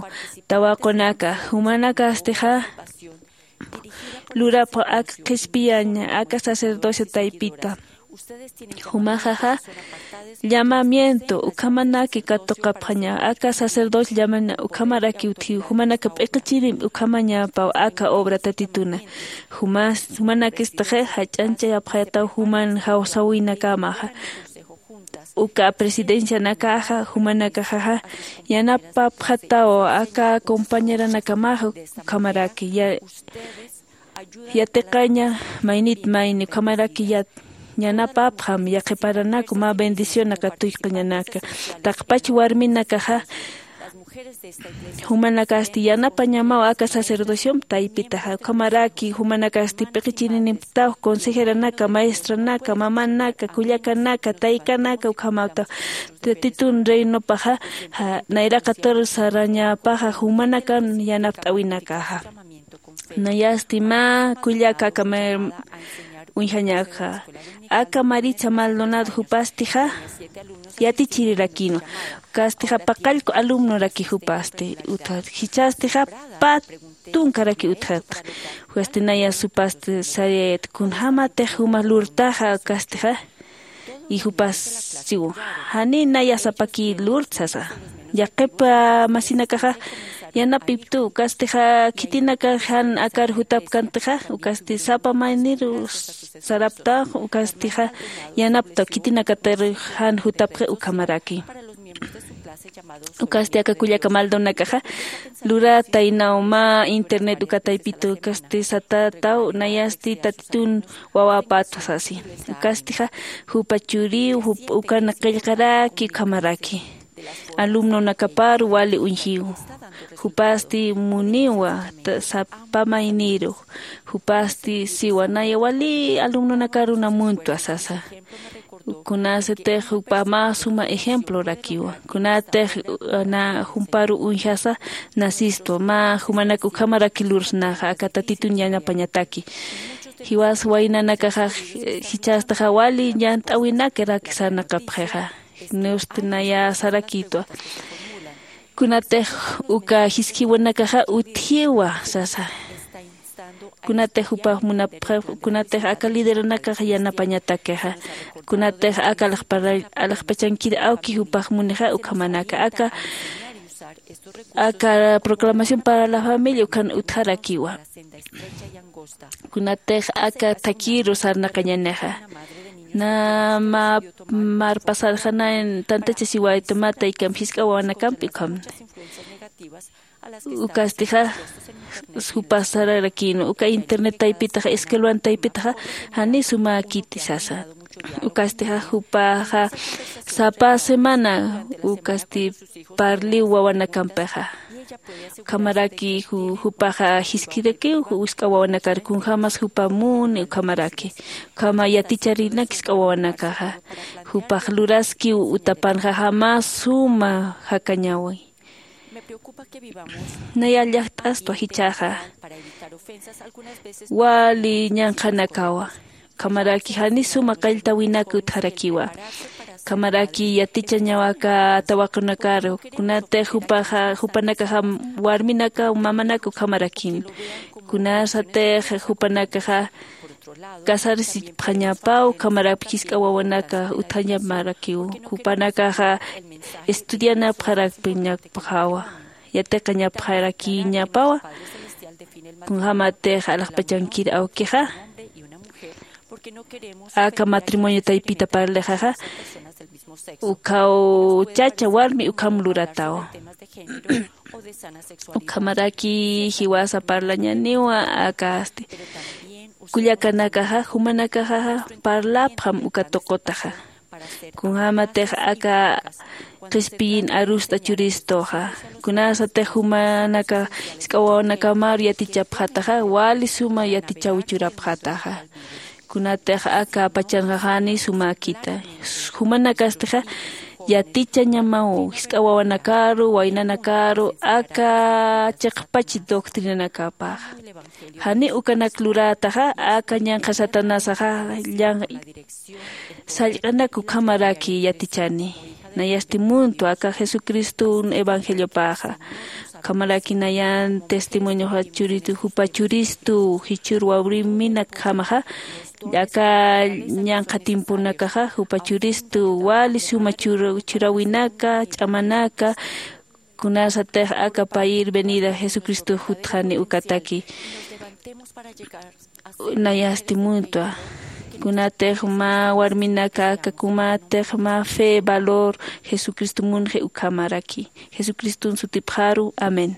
Tawaqunaka jumanakastixa lurapxam aka qhispiyaña aka sacerdocio taypita. Jumaxaxa llamamiento ukhamanaki katuqapxaña aka sacerdocio llamana ukhamaraki utjiw jumanaka p'iqichirim ukhamañapaw aka obra Tatituna. Jumanakistixi jach'añchayapxayataw juman jawsäwinakamaxa. Uka presidencianakaxa jumanakaxaxa yanapapxataw aka compañeranakamaxa ukhamaraki yatiqaña maynit mayni ukhamaraki yanapapxam yaqhiparanaku mä bendicionaka tuyk'añanaka. Taqpach warminakaxa jumanakasti yanapañamaw aka sacerdociomp taypitaxa ukhamaraki jumanakasti p'iqichirinimptaw consejeranaka maestranaka mamanaka kullakanaka taykanaka ukhamaptaw Tatitun reinopaxa nayraqatur sarañapaxa jumanakan yanapt'awinakaxa. Nayasti mä kullaka aka uñjañakxa aka maritza maldonado jupastixa yatichirirakinwa. Ukastixa paqallku alumnoraki jupasti utjat jichhastixa pä tunkaraki utjatxa. Ukasti naya supasti sariyayat kunjämatix juma lurtaxa ukastixa y jupas siw janiy naya sapaki lurt sasa. Yaqhip masinakaxa yanapiptu ukastixa khitinaka jan akar jutapkantixa ukasti sapa mayniru saraptax ukastixa yanaptaw khitinakatir jan jutapxi ukhamaraki. Ukasti aka kullaka maldonakaxa lurataynaw mä internet uka taypitu ukasti satataw nayasti tatitun wawapata sasi. Ukastixa jupa churiw ukana qillqaraki ukhamaraki alumnonakapar wali uñjiw. Jupasti muniwa sapa mayniru jupasti siwa naya wali alumnonakaruna muntwa sasa. Kunasatix jupa mä suma ejemplorakiwa. Kunatix na jumparu uñjasa nasistwa, mä jumanak ukhamaraki lursnaxa aka Tatitun yanapañataki. Jiwas waynanakaxa jichhastaxa wali ñant'äwinakarak sarnaqapxixa. Nustinaya sarakïtwa. Kunatix uka jisk'iwanakaxa utjiwa sasa. Kunatix jupax munapxi, kunatix aka lideranakax yanapañatakixa, kunatix aka alaxpachankir awki jupax munixa ukhamanaka aka aka proclamación para la familia ukan utjarakiwa. Kunatix aka thakiru sarnaqañanixa, na mä marpasarxanayan tantachasiwayta mä taykamp jisk'a wawanakampi ukhamni. Ukastixa jupas sararakïnwa uka internet taypitaxa escuelan taypitaxa jani sumäkiti sasa. Ukastixa jupaxa sapa semana ukasti parliw wawanakampixa. Ukhamaraki jupaxa jisk'irakiw jisk'a wawanakar kunjämas jupa muni ukhamaraki ukhama yaticharinak jisk'a wawanakaxa. Jupax luraskiw utapanxaxa mä suma jakañäwi. Naya llakt'astwa jichhaxa wali ñanqhanakawa. Ukhamaraki jani suma qalltäwinak utjarakiwa. Ukhamaraki yatichañaw aka tawaqunakaru kunatix jupanakaxa warminakaw mamanakaw ukhamarakin. Kunasatix jupanakaxa casarsichpxañapaw ukhamaraki jisk'a wawanaka utjañamarakiw. Jupanakaxa estudianapxarakpiñapxawa, yatiqañapxarakiñapawa. Kunjämatix alaxpachankir awkixa aka matrimonio taypita parlixaxa ukhaw chacha warmi ukham luratawa. Ukhamaraki jiwasa parlañaniwa akasti kullakanakaxa jumanakaxaxa parlapxam uka tuqutaxa. Kunjämatix aka qhispiyin arust'a churistuxa kunasatix jumanaka jisk'a wawanakamaru yatichapxataxa wali suma yatichaw churapxataxa. Kunatix aka pachanxa jani sumäkita. Jumanakastixa yatichañamaw jisk'a wawanakaru waynanakaru aka chiqpach doctrinanakapaxa. Jani ukanak lurätaxa aka ñanqha satanasaxa sallq'anak ukhamaraki yatichani. Nayasti muntwa aka jesucristun evangeliopaxa. Ukhamaraki nayan testimonioxa churitu jupa churistu jichhür wawriminakjamaxa aka ñanqha tiemponakaxa jupa churistu wali suma churawinaka ch'amanaka. Kunasatix aka payir venida jesucristo jutxani ukataki. Nayasti muntwa kunatix mä warminaka aka kumatix mä fe valor jesucristo munxi ukhamaraki. Jesucriston sutipxaru amén.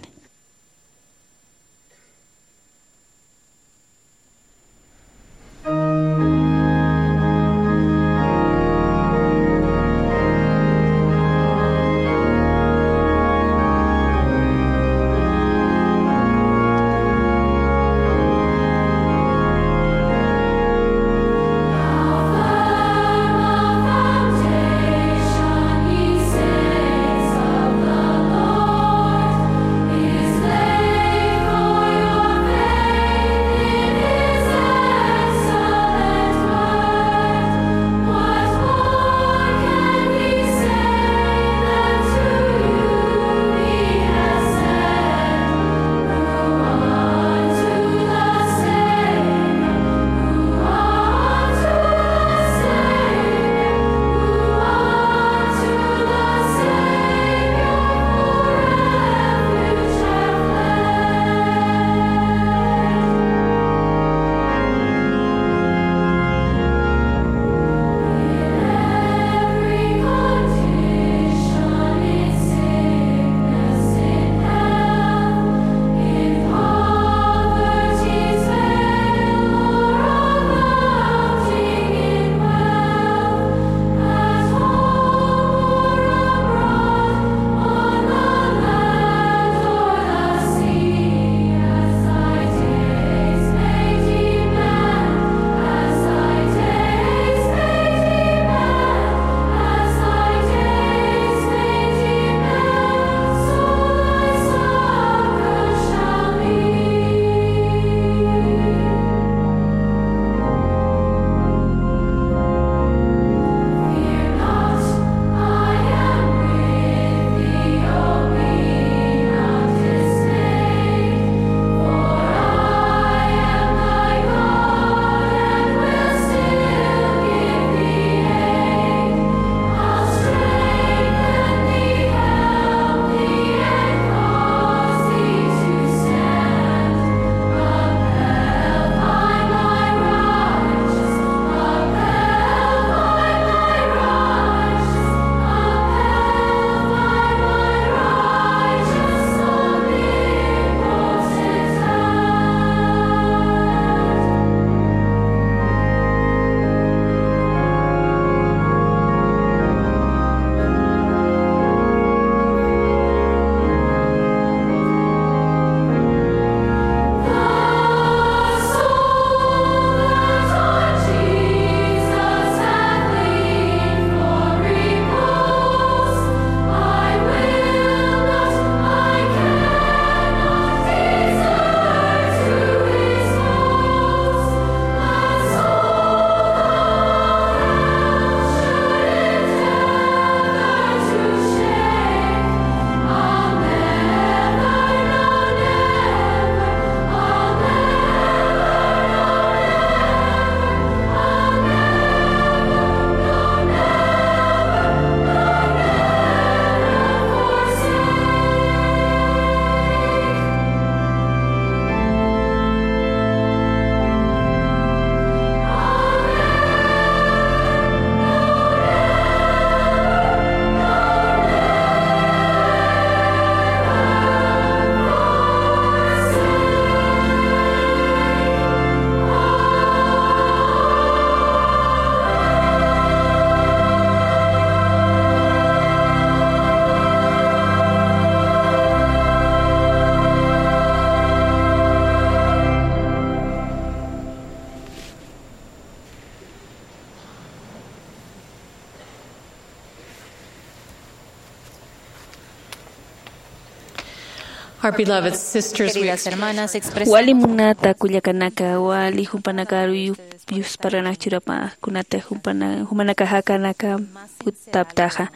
Our beloved sisters, we Queridas hermanas, expresamos wali munata kullakanaka, wali jumpanakaru yu- yusparana churapa, kunata jumpana jumanaka jakanaka putaptaxa.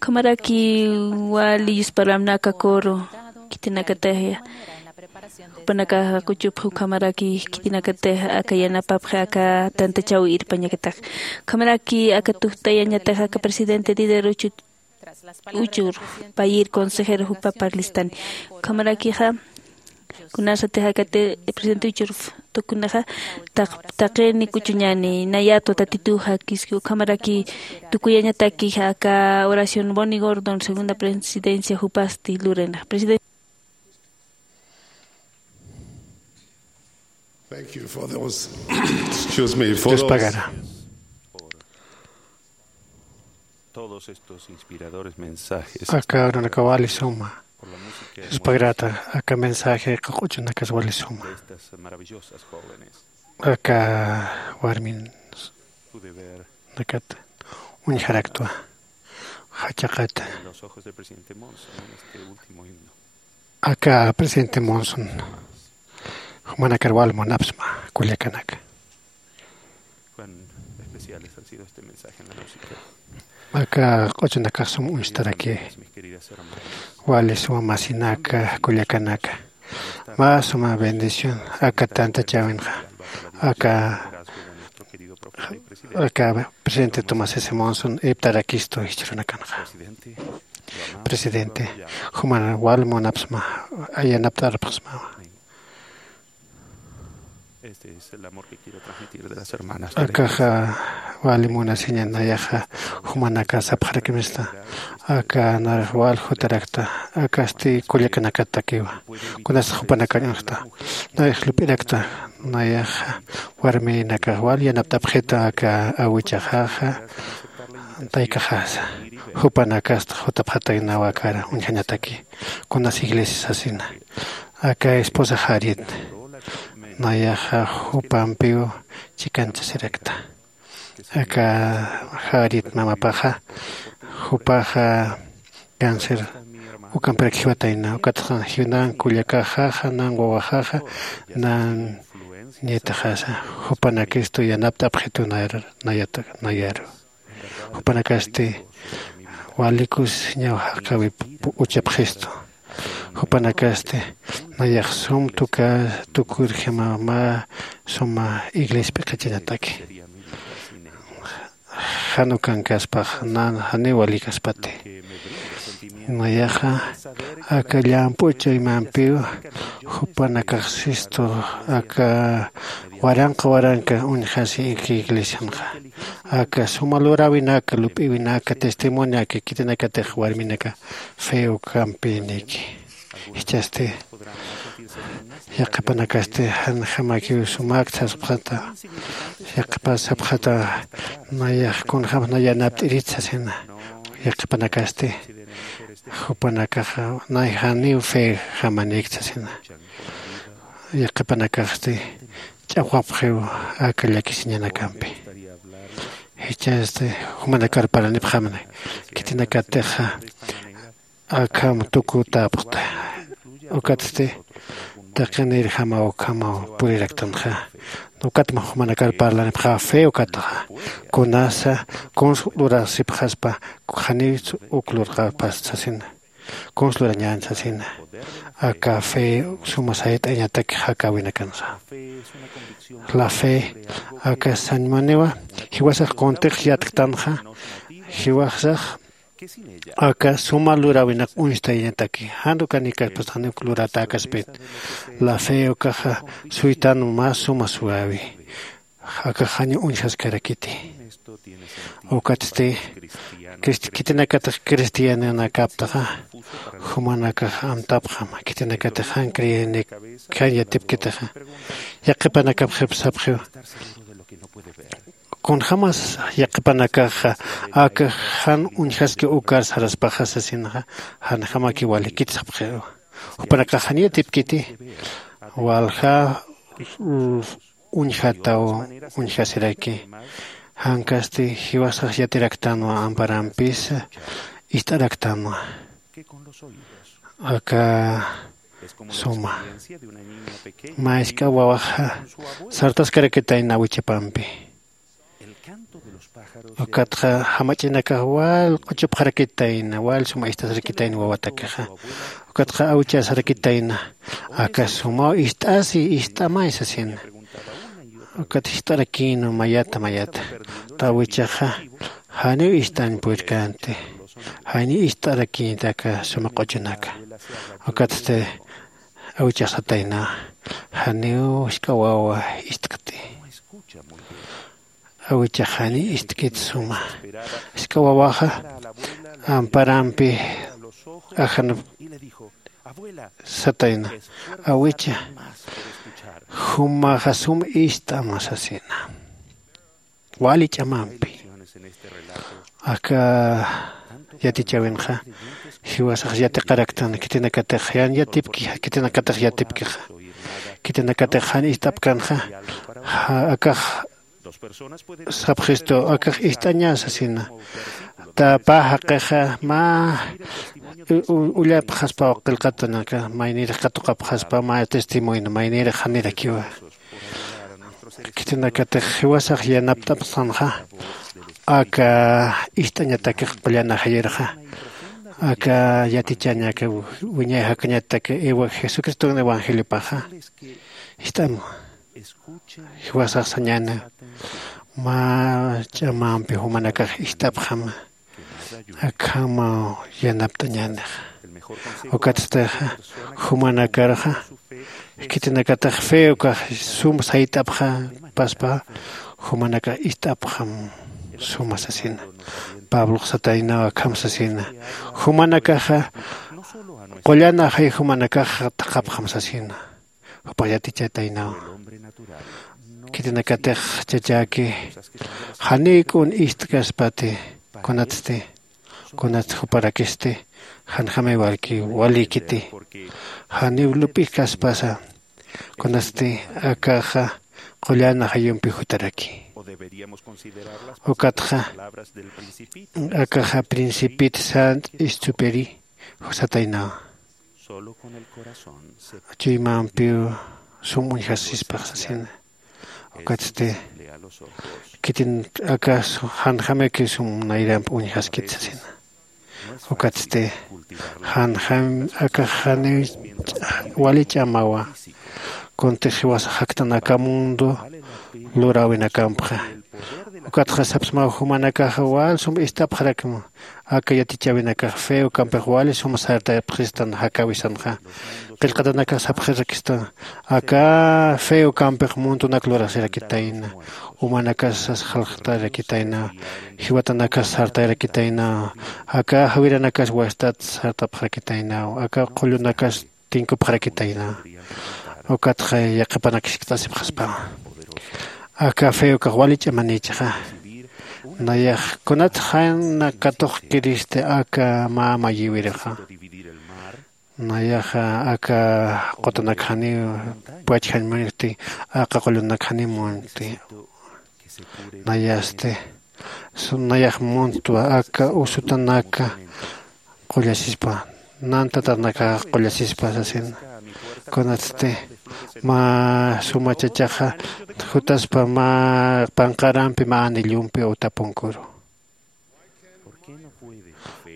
Ukhamaraki wali yusparamnaka koro kitinakataya. Jupanakaxa kuchupxi ukhamaraki kitinakataya aka yanapapxi aka tantachaw irpañakatax. Ukhamaraki aka tujtayañataxa aka presidente líder uchu uchur payir consejero jupa parlistani. Ukhamarakixa kunasatix akati presidente uchur tukunaxa taq- taqini kuchuñani nayatwa tatituxa kiski ukhamaraki tukuyañatakixa aka oración Bonnie Gordon segunda presidencia jupasti lurena presidente. Thank you for those. Excuse me, for Dios those pagara. Todos estos inspiradores mensajes. Aka urunaka wali suma. Por la música hermosa Dios pagarata, aka mensaje q'uchunakas wali suma. De estas maravillosas jóvenes. Aka warmin Pude ver nakat uñjaraktwa. Jachaqata. En los ojos del presidente Monson en este último himno. Aka presidente Monson jumanakar wal munapsma kullakanaka. Cuán especiales han sido este mensaje en la música. Aka q'uchunakax sum uñstaraki. Mis queridas hermanas. Wali suma masinaka kullakanaka. Mä suma bendición aka tantachäwinxa. Aka aka presidente Tomás S. Monson iptarakistu jichhürunakanxa. Presidente, juman wal munapsma, yanapt'arpxsma. Este es el amor que quiero transmitir de las hermanas. Akaxa wali munasiña nayaxa jumanaka sapxarakimista. Aka narix wal jutarakta, akasti kullakanakatakiwa. Kunas jupanakañuxta. Narix lup'irakta, nayaxa warminakax wal yanapt'apxita aka awichaxaxa, taykaxasa. Jupanakasta jutapxataynawa akar uñjañataki. Kunas iglesia sasina. Aka esposa Jarit. Nayaxa jupampiw chikanchasirakta. Aka Jarit mamapaxa, jupaxa cáncer ukampirak jiwatayna, ukatxa jinan kullakaxaxa, nan wawaxaxa, nan nietaxasa, jupanakistu yanapt'apxitu nayar-, nayata-, nayaru. Jupanakasti walikus ñaw jaqawip uchapxistu. Jupanakasti nayax sum tuka tukurjima mä suma iglesia p'iqichañataki. Jan ukankaspax nan janiw walikaspati. Nayaxa aka llamp'u chuymampiw jupanakax sistu aka waranqa waranqa uñjasi ika iglesianxa. Aka suma luräwinaka, lup'iwinaka, testimonio aka khitinakatix warminaka fe ukampiniki. Jichhasti yaqhipanakasti janjamakiw sumäkt sasxata, yaqhipas sapxata, nayax kunjämsa nay yanapt'irit sasina. Yaqhipanakasti jupanakaxa nay janiw fe jamanïkt sasina. Yaqhipanakaxsti ch'aqwapxiw aka llakisiñanakampi. Jichhasti jumanakar parlanipxamani, khitinakatixa akham tukutäpxta. Ukatsti taqinirjamaw ukhamaw puriraktanxa. Ukatma jumanakar parlanipxä fe ukatxa. Kunasa kuns lurasipxaspa, janiw uk lurqapas sasina. Kuns lurañän sasina. Aka fe suma sayt'añatak jakäwinakansa. La fe aka sañmuniwa, jiwasax kuntix yatktanxa, jiwasax aka suma luräwinak uñstayañataki, jan ukanikaspas janiw uk luratäkaspit. La fe ukaxa suytan mä suma suäwi. Aka janiw uñjaskarakiti. Ukatsti crist-, khitinakatix cristiananakaptaxa, jumanakax amtapxam, khitinakatix jan creyenik, jan yatipkitaxa. Yaqhipanakapxip sapxiw. Kunjämas yaqhipanakaxa aka jan uñjaski ukar saraspaxa sasinxa, janjamaki walikit sapxiw. Jupanakax jan yatipkiti, walja, mm, uñjataw uñjasiraki. Jankasti jiwasax yatiraktanwa, amparampis ist'araktanwa. Aka Suma mä isk'a wawaxa sartaskarakitayna awichapampi. Ukatxa jamach'inakax wal q'uchupxarakitayna wal suma istasrakitayna wawatakixa. Ukatxa awichasarakitayna aka sumaw ist'asi ist'amay sasina. Ukat jist'arakïnwa mayata mayata. Tawichaxa janiw ist'añ purkänti. Janiw ist'arakïnti aka suma q'uchunaka. Ukatsti awichax satayna janiw jisk'a wawa ist'kti. Awichax janiw ist'kit suma jisk'a wawaxa amparampi ajanap satayna. Awicha, jumaxa sum ist'ama sasina wali ch'amampi. Aka yatichäwinxa jiwasax yatiqaraktan khitinakatix jan yatipki khitinakatix yatipkixa. Khitinakatix jan ist'apkanxa akax sapxistu akax ist'aña sasina. Tapa jaqixa mä ullapxaspaw qillqatanaka maynirix katuqapxaspa mä testimonio maynirix janirakiwa. Khitinakatix jiwasax yanapt'apxtanxa aka ist'añatakix qullan ajayirxa aka yatichañaka wiñay jakañatak jesucriston evangeliopaxa. Ist'am jiwasax sañäna mä ch'amampi jumanakax ist'apxam akhamaw yanapt'añänix. Ukatstixa jumanakarxa khitinakatix fe ukax sum sayt'apxapaspa jumanakax ist'apxam suma sasina. Pablox sataynaw akham sasina jumanakaxa qullan ajay jumanakax thaqhapxam sasina. Jupax yatichataynaw khitinakatix chachäki janiw k'un ist'kaspati kunatsti kunatsti juparakisti janjamay walki walïkiti janiw lup'ikaspasa kunatsti akaxa qullan ajayumpi jutaraki. Ukatxa akaxa principit sant istupiri sataynawa chuymampiw sum uñjasispax sasina. Ukatsti khitin aka janjamaki sum nayramp uñjaskit sasina. Ukatsti janjam akax janiw wali ch'amawa kuntix jiwasax jaktan aka mundo luräwinakampxa. Ukatxa sapsmaw jumanakaxa wal sum ist'apxarakma aka yatichäwinakax fe ukampix wali sum sartayapxistan jakäwisanxa. Qillqatanakax sapxirakistan aka fe ukampix muntunak lurasirakitayna umanakas sas jalxtarakitayna jiwatanakas sartayarakitayna aka jawiranakas wastat sartapxarakitayna aka qullunakas tinkupxarakitayna. Ukatxa yaqhipanak jiskt'asipxaspa aka fe ukax wali ch'amanïchixa. Nayax kunat jan katuqkiristi aka mä mayïwirixa nayaxa aka qutanak janiw pachjañ munkti aka qullunak janiw munkti. Nayasti nayax muntwa aka usutanaka qullasispa nantatanakax qullasispa sasina. Kunatsti mä suma chachaxa jutaspa mä panqarampi mä anillumpi utapunkuru.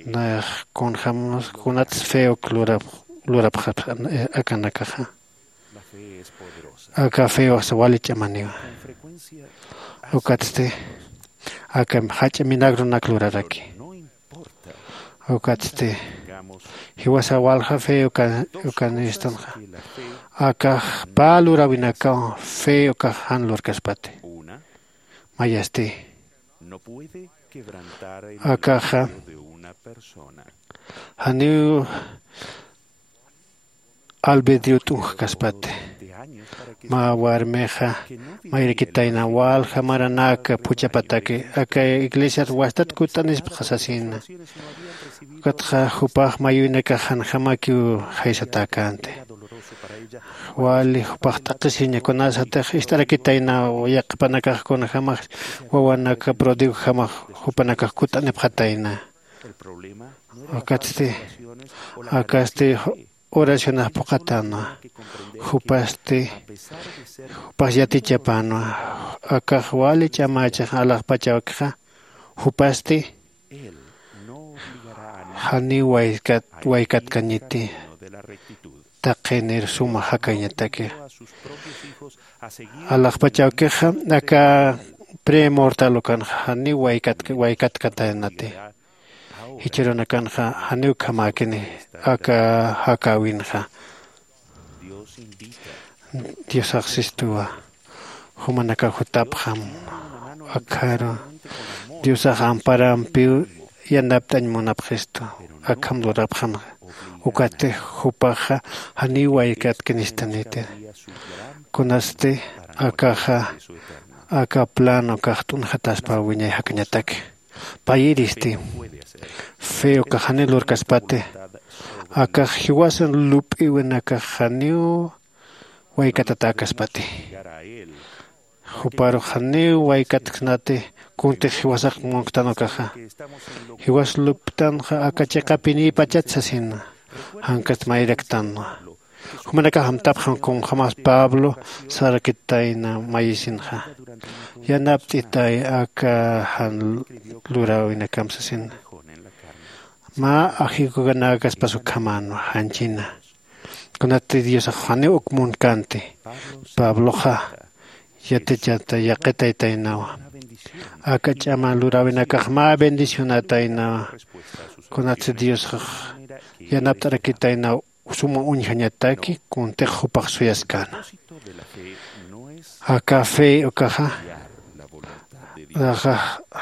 Nayax kunjämas kunatsti fe uk lurapxaspa akanakaxa. Aka fe ukax wali ch'amaniwa. Ukatsti aka jach'a minagronak luraraki. Ukatsti jiwasa walja fe ukanïstanxa akax pä luräwinakaw fe ukax jan lurkaspati. Mayasti akaxa janiw albedrio t'unjkaspati. Mä warmixa mayirakitayna walja maranaka phuchhapataki aka iglesiat wastat kutt'anispxa sasina. Ukatxa jupax mayuynakax janjamakiw jaysatäkänti. Wali jupax t'aqhisiña kunasatix ist'arakitayna yaqhipanakax kunjämax wawanaka prodigojamax jupanakax kutt'anipxatayna. Ukatsti akasti oracionax phuqhatanwa. Jupasti jupax yatichapanwa. Akax wali ch'amachax alaxpachawkixa jupasti janiw waykatkañiti. Taqinir suma jakañataki alaxpachawkixa aka premortal ukanxa janiw waykatkatanati. Jichhürunakanxa janiw ukhamäkini aka jakäwinxa. Diosax sistuwa jumanakax jutapxam. Akharu diosax amparampiw yanapt'añ munapxistu. Akham lurapxam. Ukatix jupaxa janiw waykatkinistaniti. Kunasti akaxa aka plano kaxt'unxataspa wiñay jakañataki. Payiristi fe ukax janiw lurkaspati. Akax jiwasan lup'iwinakax janiw waykatatäkaspati. Juparux janiw waykatksnati. Kuntix jiwasax munktan ukaxa jiwas lup'tanxa aka chiqapinïpachat sasina. Jankast mayraktanwa. Jumanakax amtapxam kunjämas pablo sarakitayna mayisinxa. Yanapt'itay aka jan luräwinakam sasina. Mä ajikukanäkaspas ukhamänwa janchina. Kunatsti diosax janiw uk munkänti. Pabloxa yatichata yaqitaytaynawa. Aka ch'ama luräwinakax mä bendicionataynawa. Kunatsti diosax yanapt'arakitaynaw suma uñjañataki kuntix jupax suyaskäna. Aka fe ukaxa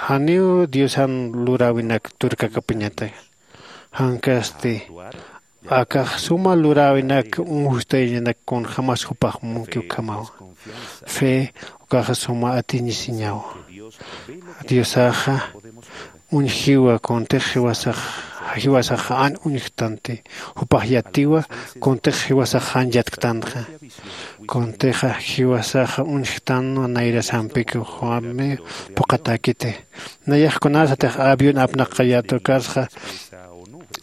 janiw diosan luräwinak turkakapiñataki. Jankasti akax suma luräwinak uñstayañanak kunjämas jupax munki ukhamawa. Fe ukaxa suma atiñisiñawa. Diosaxa uñjiwa kuntix jiwasax jiwasaxa an uñjtanti. Jupax yatiwa kuntix jiwasax jan yatktanxa. Kuntixa jiwasaxa uñjktanwa nayrasampiki juami phuqhatäkiti. Nayax kunasatix avión apnaqayät ukarxa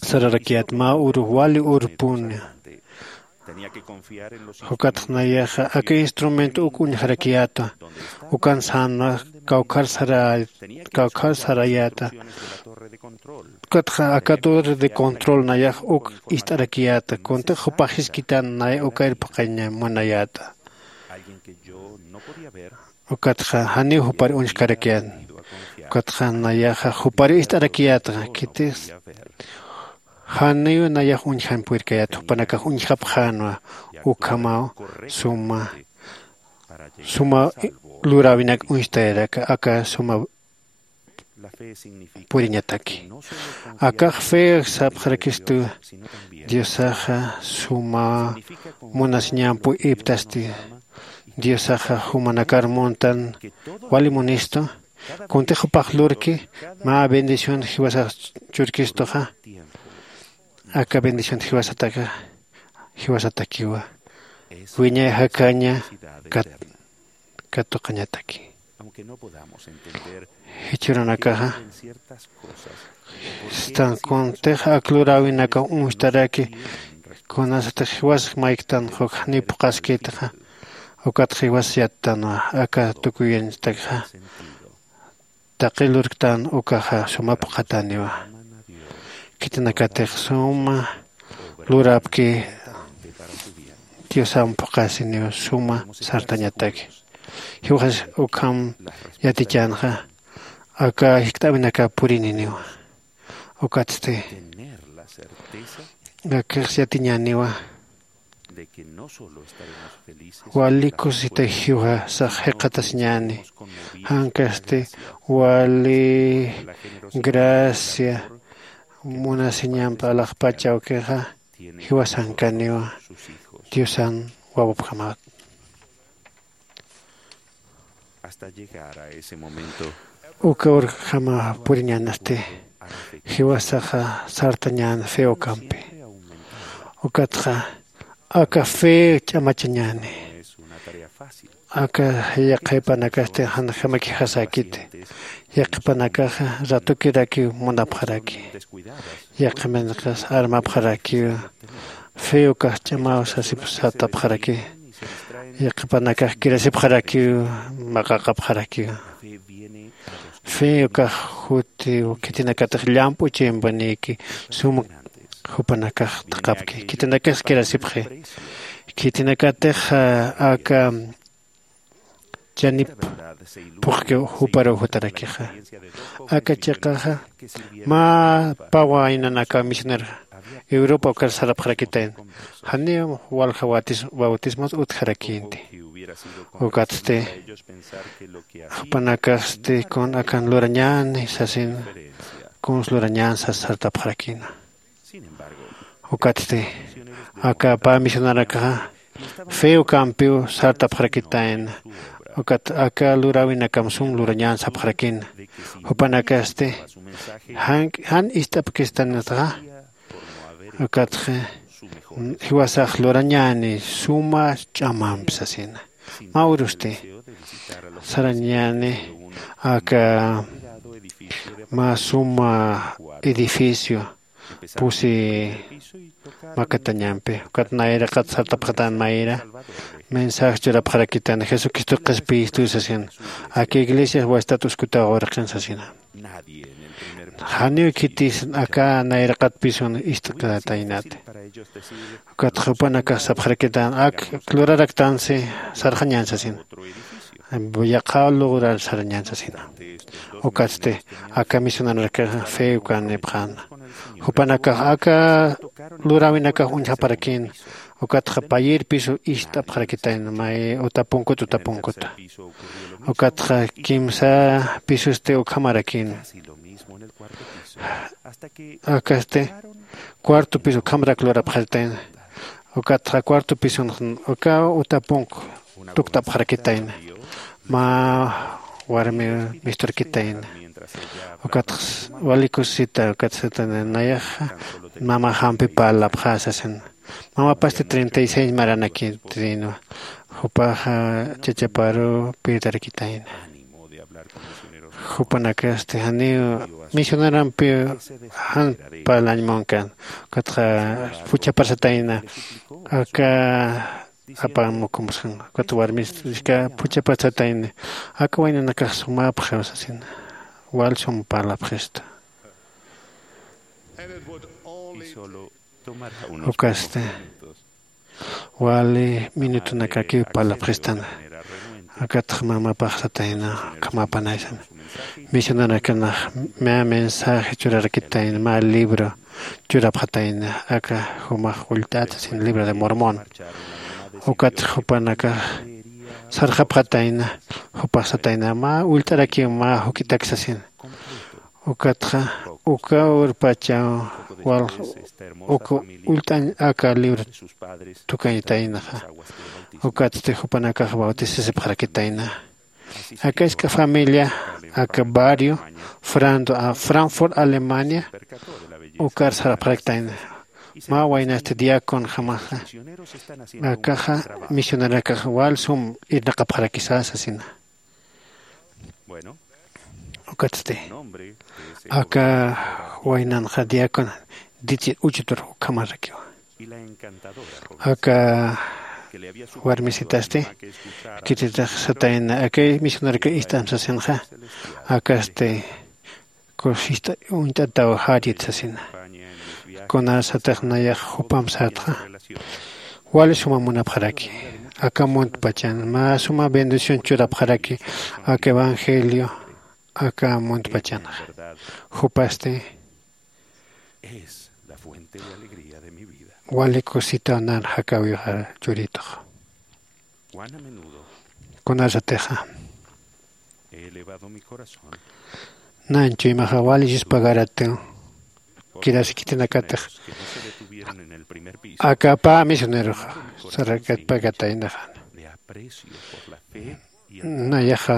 sararakiyät mä uru wali urpuni. Jukatx nayaxa aka instrumento uk uñjarakiyäta. Ukan sänwa kawkhar sarayäta. Ukatxa aka torre de control nayax uk ist'arakiyäta kuntix jupax jiskitan nay ukayr phuqhañ munayäta. Ukatxa janiw jupar uñjkarakiyän. Ukatxa nayaxa jupar ist'arakiyätxa khitix janiw nayax uñjamp wirkayät jupanakax uñjapxänwa. Ukhamaw suma suma luräwinak uñstayarak aka suma puriñataki. Akax fe sapxarakistu. Diosaxa suma munasiñampu iptasti. Diosaxa jumanakar muntan wali munistu. Kuntix jupax lurki mä bendición jiwasax churkistuxa. Aka bendición jiwasataka jiwasatakiwa wiñay jakaña katuqañataki. Jichhürunakaxa stan kuntix ak luräwinakaw uñstaraki. Kunasatix jiwas mayktan jukxni phuqhaskitxa. Ukatxa jiwas yattanwa aka tukuyañstakxa. Taqi lurktan ukaxa suma phuqhatäniwa. Khitinakatix suma lurapki diosam phuqhasiniw suma sartañataki. Jiwxas ukham yatichänxa aka jikt'äwinaka purininiwa. Ukatsti akix yatiñäniwa wali kusita jiwasax jikxatasiñäni. Jankasti wali gracia munasiñamp alaxpach awkixa jiwasankaniwa diosan wawapjamat. Uka urjama puriñänasti jiwasaxa sartañän fe ukampi. Ukatxa aka fe ch'amachañäni. Aka yaqhipanakasti janjamakijasäkiti. Yaqhipanakaxa ratukirakiw munapxaraki. Yaqhipanakax armapxarakiw Fe ukax ch'amaw sasip sartapxaraki. Yaqhipanakax kirasipxarakiw, maqaqapxarakiw. Fe ukax juti khitinakatix llamp'u chimpanïki sum jupanakax thaqhapki khitinakax kirasipxi. Khitinakatix aka chanip phuqkiw juparuw jutarakixa. Aka chiqaxa mä pä waynan aka misionera europa ukar sarapxarakitayna. Janiw walja bautismos utjarakïnti. Ukatsti jupanakasti kun akan lurañäni sasina. Kuns lurañän sas sartapxarakïna. Ukatsti aka pä misionarakaxa fe ukampiw sartapxarakitayna. Ukat aka luräwinakam sum lurañän sapxarakïna. Jupanakasti jan ist'apkistanitaxa. Ukatxa jiwasax lurañäni suma ch'amampi sasina. Mä urusti sarañäni aka mä suma edificio pusi makatañampi. Ukat nayraqat sartapxatan mayra mensaje churapxarakitayna jesucristo qhispiyistu sasina. Aka iglesiax wastatus kutaw urqin sasina. Janiw khitis aka nayraqat pisun ist'kataynati. Ukatxa jupanakax sapxarakitän ak luraraktansi sarxañän sasina. Yaqha lograr sarañän sasina. Ukatsti aka misionarakaxa fe ukanipxäna. Jupanakax aka luräwinakax uñjaparakïna. Ukatxa payïr pisu ist'apxarakitayna may utapunkut utapunkuta. Ukatxa kimsa pisusti ukhamarakïna. Akasti cuarto piso ukhamarak lurapxarakitayna. Ukatxa cuarto pisonx uka utapunk tuktapxarakitayna. Mä warmi misturkitayna. Ukatx wali kusisita ukatx sitana nayaxa mama jampi parlapxä sasina. Mamapasti treinta y seis maranakitrinwa. Jupaxa chachaparu pirtarakitayna. Jupanakasti janiw misionarampiw jan parlañ munkan. Ukatxa phuchhaparsatayna aka apamukumuskan. Ukat warmista phuchhaparsatayna aka waynanakax sumapxiw sasina. Wal sum parlapxista. Ukasti wali minutunakakiw parlapxistana. Akatxa mamapax satayna ukhamapanaysan. Misionanakanax mä mensaje churarakitayna mä libro churapxatayna aka jumax ullt'at sasin libro de mormón. Ukatxa jupanakax sarxapxatayna. Jupax satayna mä ullt'arakiw mä juk'itak sasin. Ukatxa uka urpachaw wal uka ullt'añ aka libro tukañtaynaxa. Ukatsti jupanakax bautisasipxarakitayna. Aka isk'a familia aka barrio frando a frankfurt alemania. Ukar sarapxaraktayna. Mä waynasti diaconjamaxa akaxa misionerakax wal sum irnaqapxarakisa sasina. Ukatsti aka waynanxa diácona ditsi uchutur ukhamarakiwa. Aka warmisitasti kititix satayna akay misionarka ist'am sasinxa. Akasti kusista uñt'ataw jarit sasina. Kunasatix nayax jupam satxa wali suma munapxaraki. Aka muntpachan mä suma bendición churapxaraki aka evangelio aka muntpachanxa. Jupasti wali kusitaw nan jakawixa churituxa. Kunasatixa nanchuymaxa wali yuspagaratiw kirasikitinakatix aka pä misioneroxa sarakatpakataynaxan. Nayaxa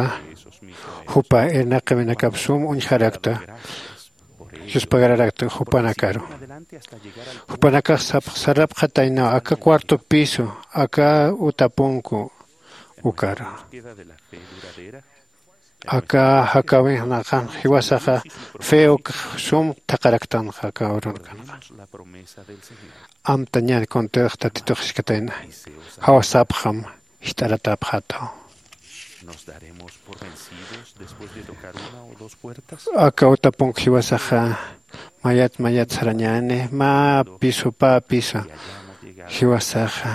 jupa irnaqäwinakap sum uñjarakta yuspagararakta jupanakaru. Jupanakax sarapxataynaw aka cuarto piso aka utapunku ukaru. Aka jakawinxnaqan jiwasaxa feo sum thaqaraktanxa aka urunkanxa. Amtañar kuntix tatitux jiskatayna jawsapxam jist'aratapxataw. Aka utapunk jiwasaxa mayat mayat sarañäni mä piso pä piso jiwasaxa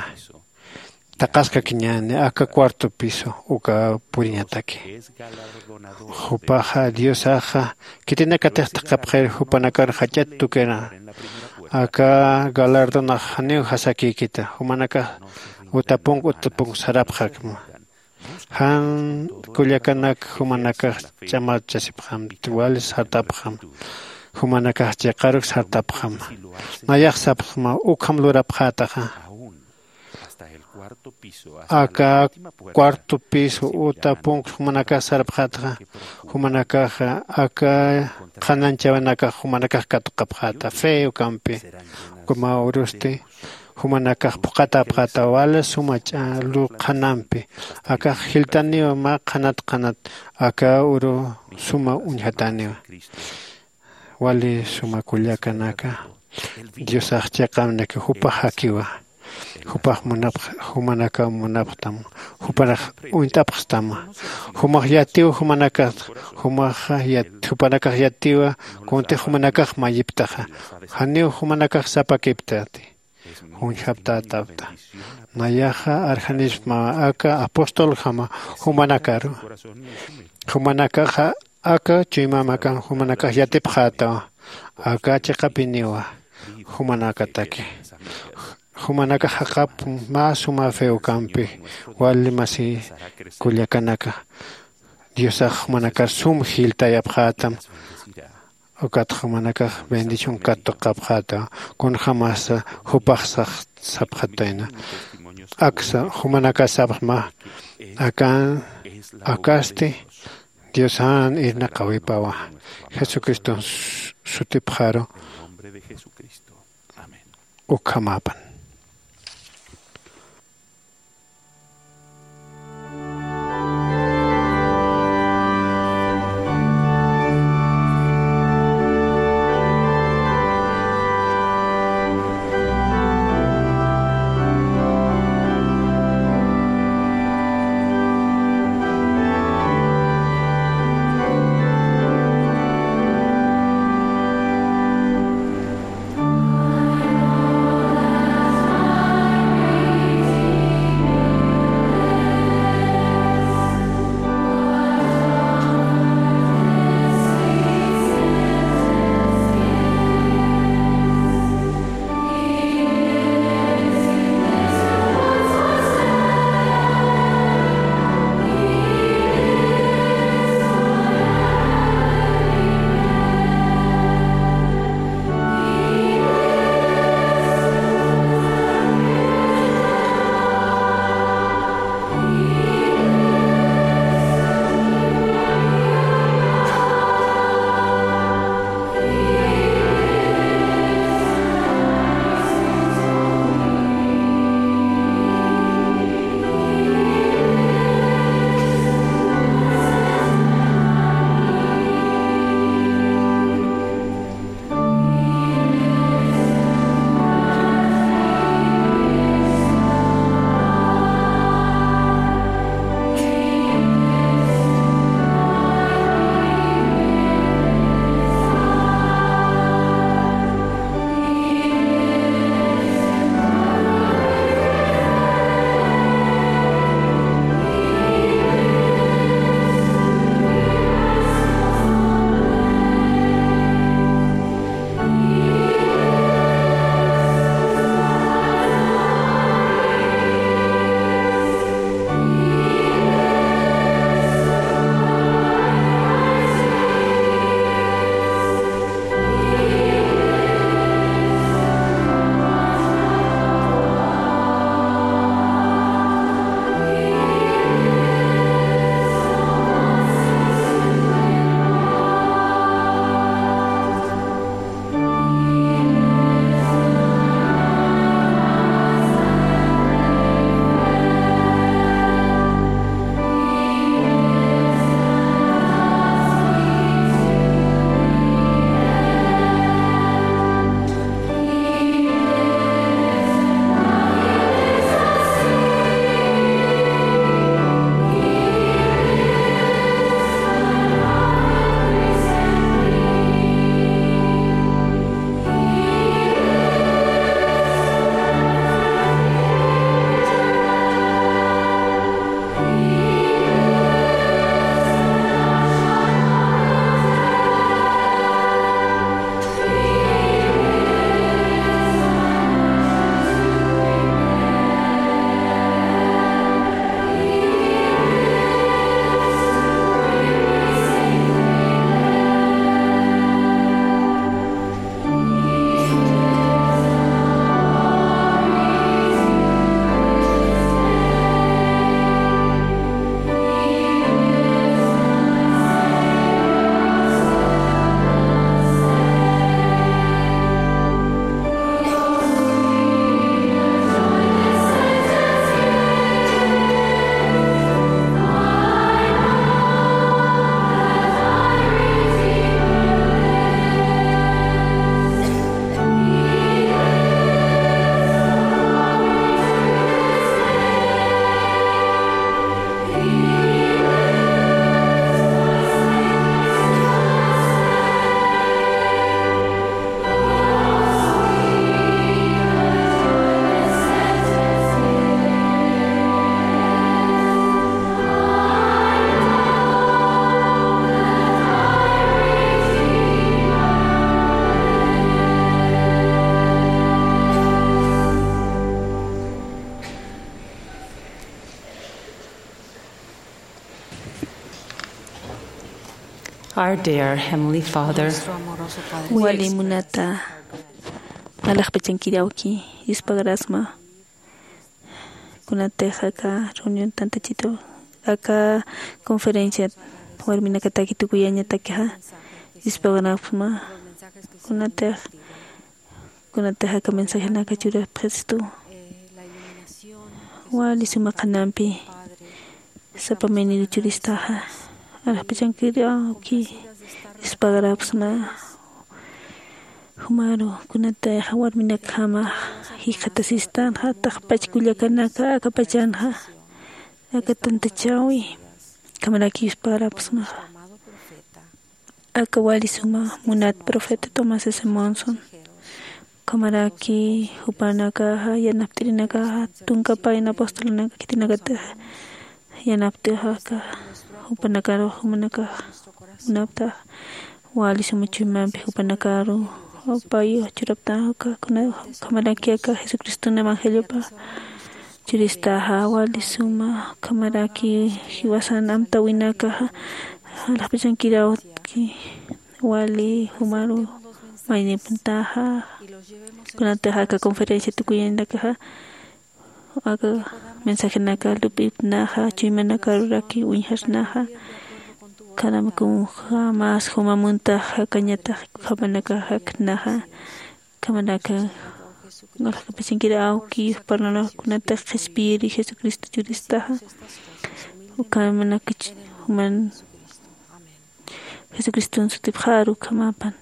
taqaskakiñäni aka cuarto piso uka puriñataki. Jupaxa diosaxa khitinakatix thaqhapxir jupanakar jach'at tukira aka galardonax janiw jasakïkita jumanakax utapunk utapunk sarapxakma. Jan kullakanak jumanakax ch'amarchasipxamti wali sartapxam. Jumanakax chiqaruk sartapxam. Nayax sapxma ukham lurapxätaxa. Aka cuarto piso uta punku jumanakax sarapxätaxa jumanakaxa aka qhananchäwinakax jumanakax katuqapxäta feo ukampi. Ukama urusti jumanakax phuqhatäpxäta wali suma ch'alu qhanampi. Akax jiltaniwa mä qhanat qhanat aka uru suma uñjatäniwa. Wali suma kullakanaka diosax chiqamnaki jupax jakiwa. Jupax munapx jumanakaw munapxtam. Jupanakax uñt'apxstama. Jumax yatiw jumanakax jumax jupanakax yatiwa. Kuntix jumanakax mayiptaxa janiw jumanakax sapakiptati. Juñjaptätapta. Nayaxa arjanispma aka apostoljama jumanakaru. Jumanakaxa aka chuymamakan jumanakax yatipxätawa. Aka chiqapiniwa jumanakataki. Jumanakax jaqap mä suma feokampi wali masi kullakanaka diosax jumanakar sum jiltayapxätam. Ukat jumanakax bendición katuqapxäta kunjämasa jupax sapxatayna. Aksa jumanakax sapxma akan akasti diosan irnaqäwipawa jesucriston sutipxaru. Ukhamapan. Our dear Heavenly Father, wali munata, alaxpachankiri awki, yuspagarasma. Kunatix aka reunión tantachitu, aka conferencia warminakataki tukuyañatakixa, yuspagarasma. Kunatix kunatix aka mensajenaka churapxistu, wali suma qhanampi sapa mayniru churistaxa, alaxpachankiri awki, yuspagarapxsma. Jumaru kunatix warminakjamax jikxatasistan, jatix pachkullakanaka akapachanxa, aka tantachäwi, ukhamaraki yuspagarapxsmaxa. Aka wali suma munat profeta Thomas S. Monson, ukhamaraki jupanakaxa, yanapt'irinakaxa, tunka payna apostolanaka khitinakatix yanapt'ixaka, jupanakaru jumanakax munaptax, wali suma chuymampi jupanakaru pay churaptaxa, ukhamaraki aka Jesucriston evangeliopa churistaxa, wali suma, ukhamaraki jiwasan amtäwinakaxa, alaxpachankiri awki, wali jumaru maynipuntaxa, kunatix aka conferencia tukuyañanakaxa, aka mensajenaka lup'ipnaxa, chuymanakaruraki uñjarsnaxa, ukhamaraki jumamuntax jakañatax, ukhamanakax jaknaxa, ukhamaraki alaxpachankiri awki, jupanakax kunatix qhispiyiri Jesucristo churistaxa, ukhamanakax juman Jesucriston sutipxaru ukhamapan.